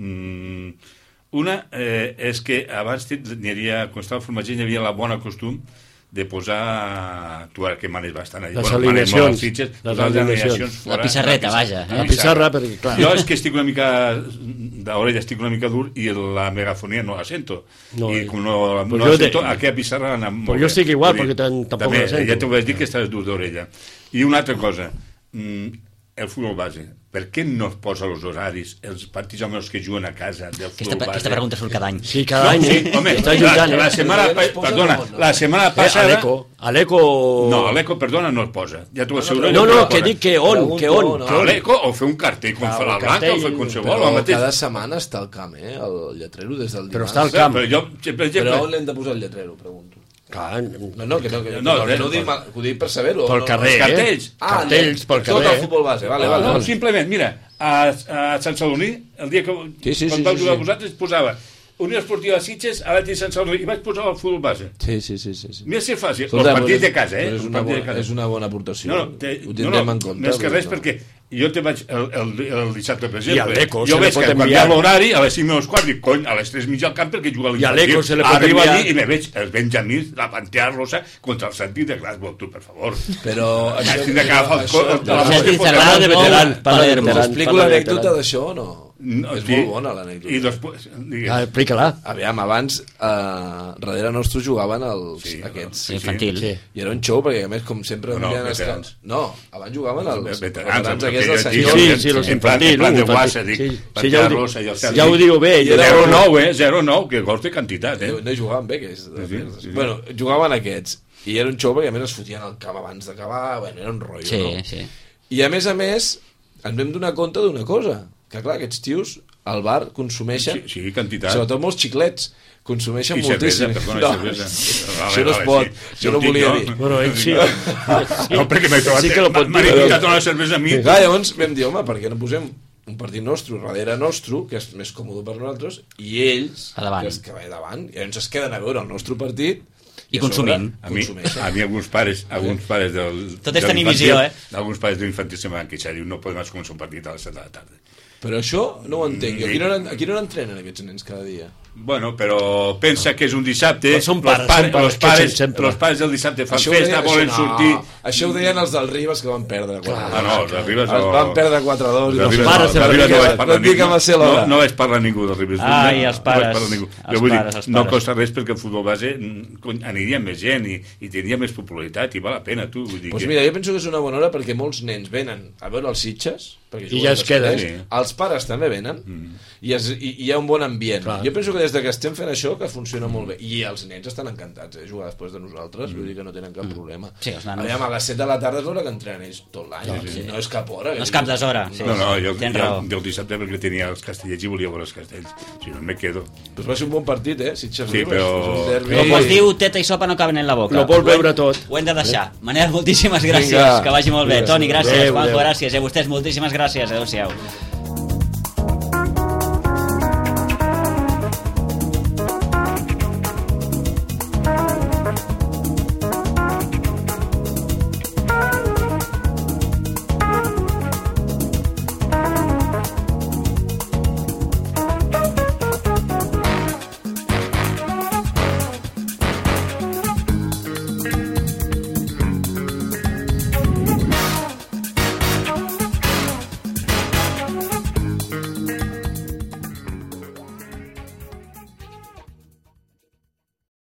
Una és que abans n'hi havia, quan estava al formatger, hi havia la bona costum de posar, tu ara que manes bastant allà, les alineacions, la pissarreta, vaja, la pissarra, perquè clar, jo és que estic una mica d'orella, estic una mica dur i la megafonia no la sento i com no la sento, aquella pissarra però jo estic igual, perquè tampoc la sento, ja t'ho vaig dir que estàs dur d'orella. I una altra cosa, el futbol base, per què no es posa els horaris, els partits amb els que juguen a casa del futbol base? Aquesta pregunta surt cada any. Sí, cada any. Home, la setmana passada... A l'Eco... No, a l'Eco, perdona, no es posa. Ja t'ho asseguro. No, que dic que on. A l'Eco, o fer un cartell com fa la Blanca, o fer qualsevol. Però cada setmana està al camp, el lletrero des del dimarts. Però està al camp. Però on l'hem de posar el lletrero, pregunto. No, que ho dic per saber-ho. Pel carrer, cartells pel carrer. Tot el futbol base, vale. Simplement, mira, a Sant Sadurní, el dia que quan vau jugar vosaltres, posava Unió Esportiva Sitges, a l'Atlètic Sant Sadurní, i vaig posar el futbol base. Sí. Mira si és fàcil, els partits de casa, És una bona aportació. Ho tindrem en compte. Més que res, perquè jo te vaig el dissabte, per exemple, i a l'Eco jo veig que canviar l'horari a les 5:15 i cony, a les 3:30 al camp perquè juga l'infantil. Arriba allí i me veig els benjamins, la Pantea Rosa contra el Santi de Glasgow, tu, per favor. Però Tinc d'agafar el Santi Cerrada de veteran. Explico l'anècdota d'això o no? És molt bona l'anècdota. I després... Explica-la. Aviam, abans darrere nostre jugaven aquests infantils. I era un show perquè a més com sempre veterans. No, abans jugaven els veterans aquests del senyor. Sí, los infantils. En plan de guassa, dic. Ja ho diu bé. 0-9, que gols de quantitat. No jugaven bé. Bueno, jugaven aquests. I era un show perquè a més es fotien al camp abans d'acabar. Bueno, era un rotllo, no? I a més, ens vam donar compte d'una cosa, que clar, aquests tios al bar consumeixen, quantitat, sobretot molts xiclets, consumeixen moltíssim. Això no es pot, això no volia dir. Bueno, ell sí. No, perquè m'he trobat, sí que lo pot dir. m'ha invitat a una cervesa a mi. Llavors vam dir, home, per què no posem un partit nostre darrere nostre, que és més còmode per nosaltres, i ells, que va davant, i llavors es queden a veure el nostre partit i consumint. A mi alguns pares del... Tot és tenir visió, alguns pares de l'infantil se m'han queixat, diu, no podem començar un partit a les 7 de la tarda. Però això no ho entenc jo. A quina hora entrenen aquests nens cada dia? Bueno, però pensa que és un dissabte, Però són pares, els pares del dissabte fan festa, volen sortir... Això ho deien els del Ribas que van perdre. No, els del Ribas no. Van perdre 4-2. Els pares no vaig parlar ningú del Ribas. Ai, els pares. No costa res perquè el futbol base aniria més gent i tindria més popularitat i val la pena, tu. Doncs mira, jo penso que és una bona hora perquè molts nens venen a veure els Sitges i ja es queden. Els pares també venen i hi ha un bon ambient. Jo penso que des que estem fent això que funciona molt bé i els nens estan encantats jugar després de nosaltres, vull dir que no tenen cap problema. Sí, els nanos. A les 7 de la tarda és l'hora que entrenen ells tot l'any, no és cap hora. No és cap deshora. No, jo el dissabte perquè tenia els castellets i volia veure els castells, si no me quedo. Pues va ser un bon partit, Sitges sí, però... Com es diu, teta i sopa no caben en la boca. No vol veure tot. Ho hem de deixar. Manel, moltíssimes gràcies, que vagi molt bé. Toni, gràcies. Juanjo, gràcies. I a vostès, moltíssimes gràcies. Adéu-siau.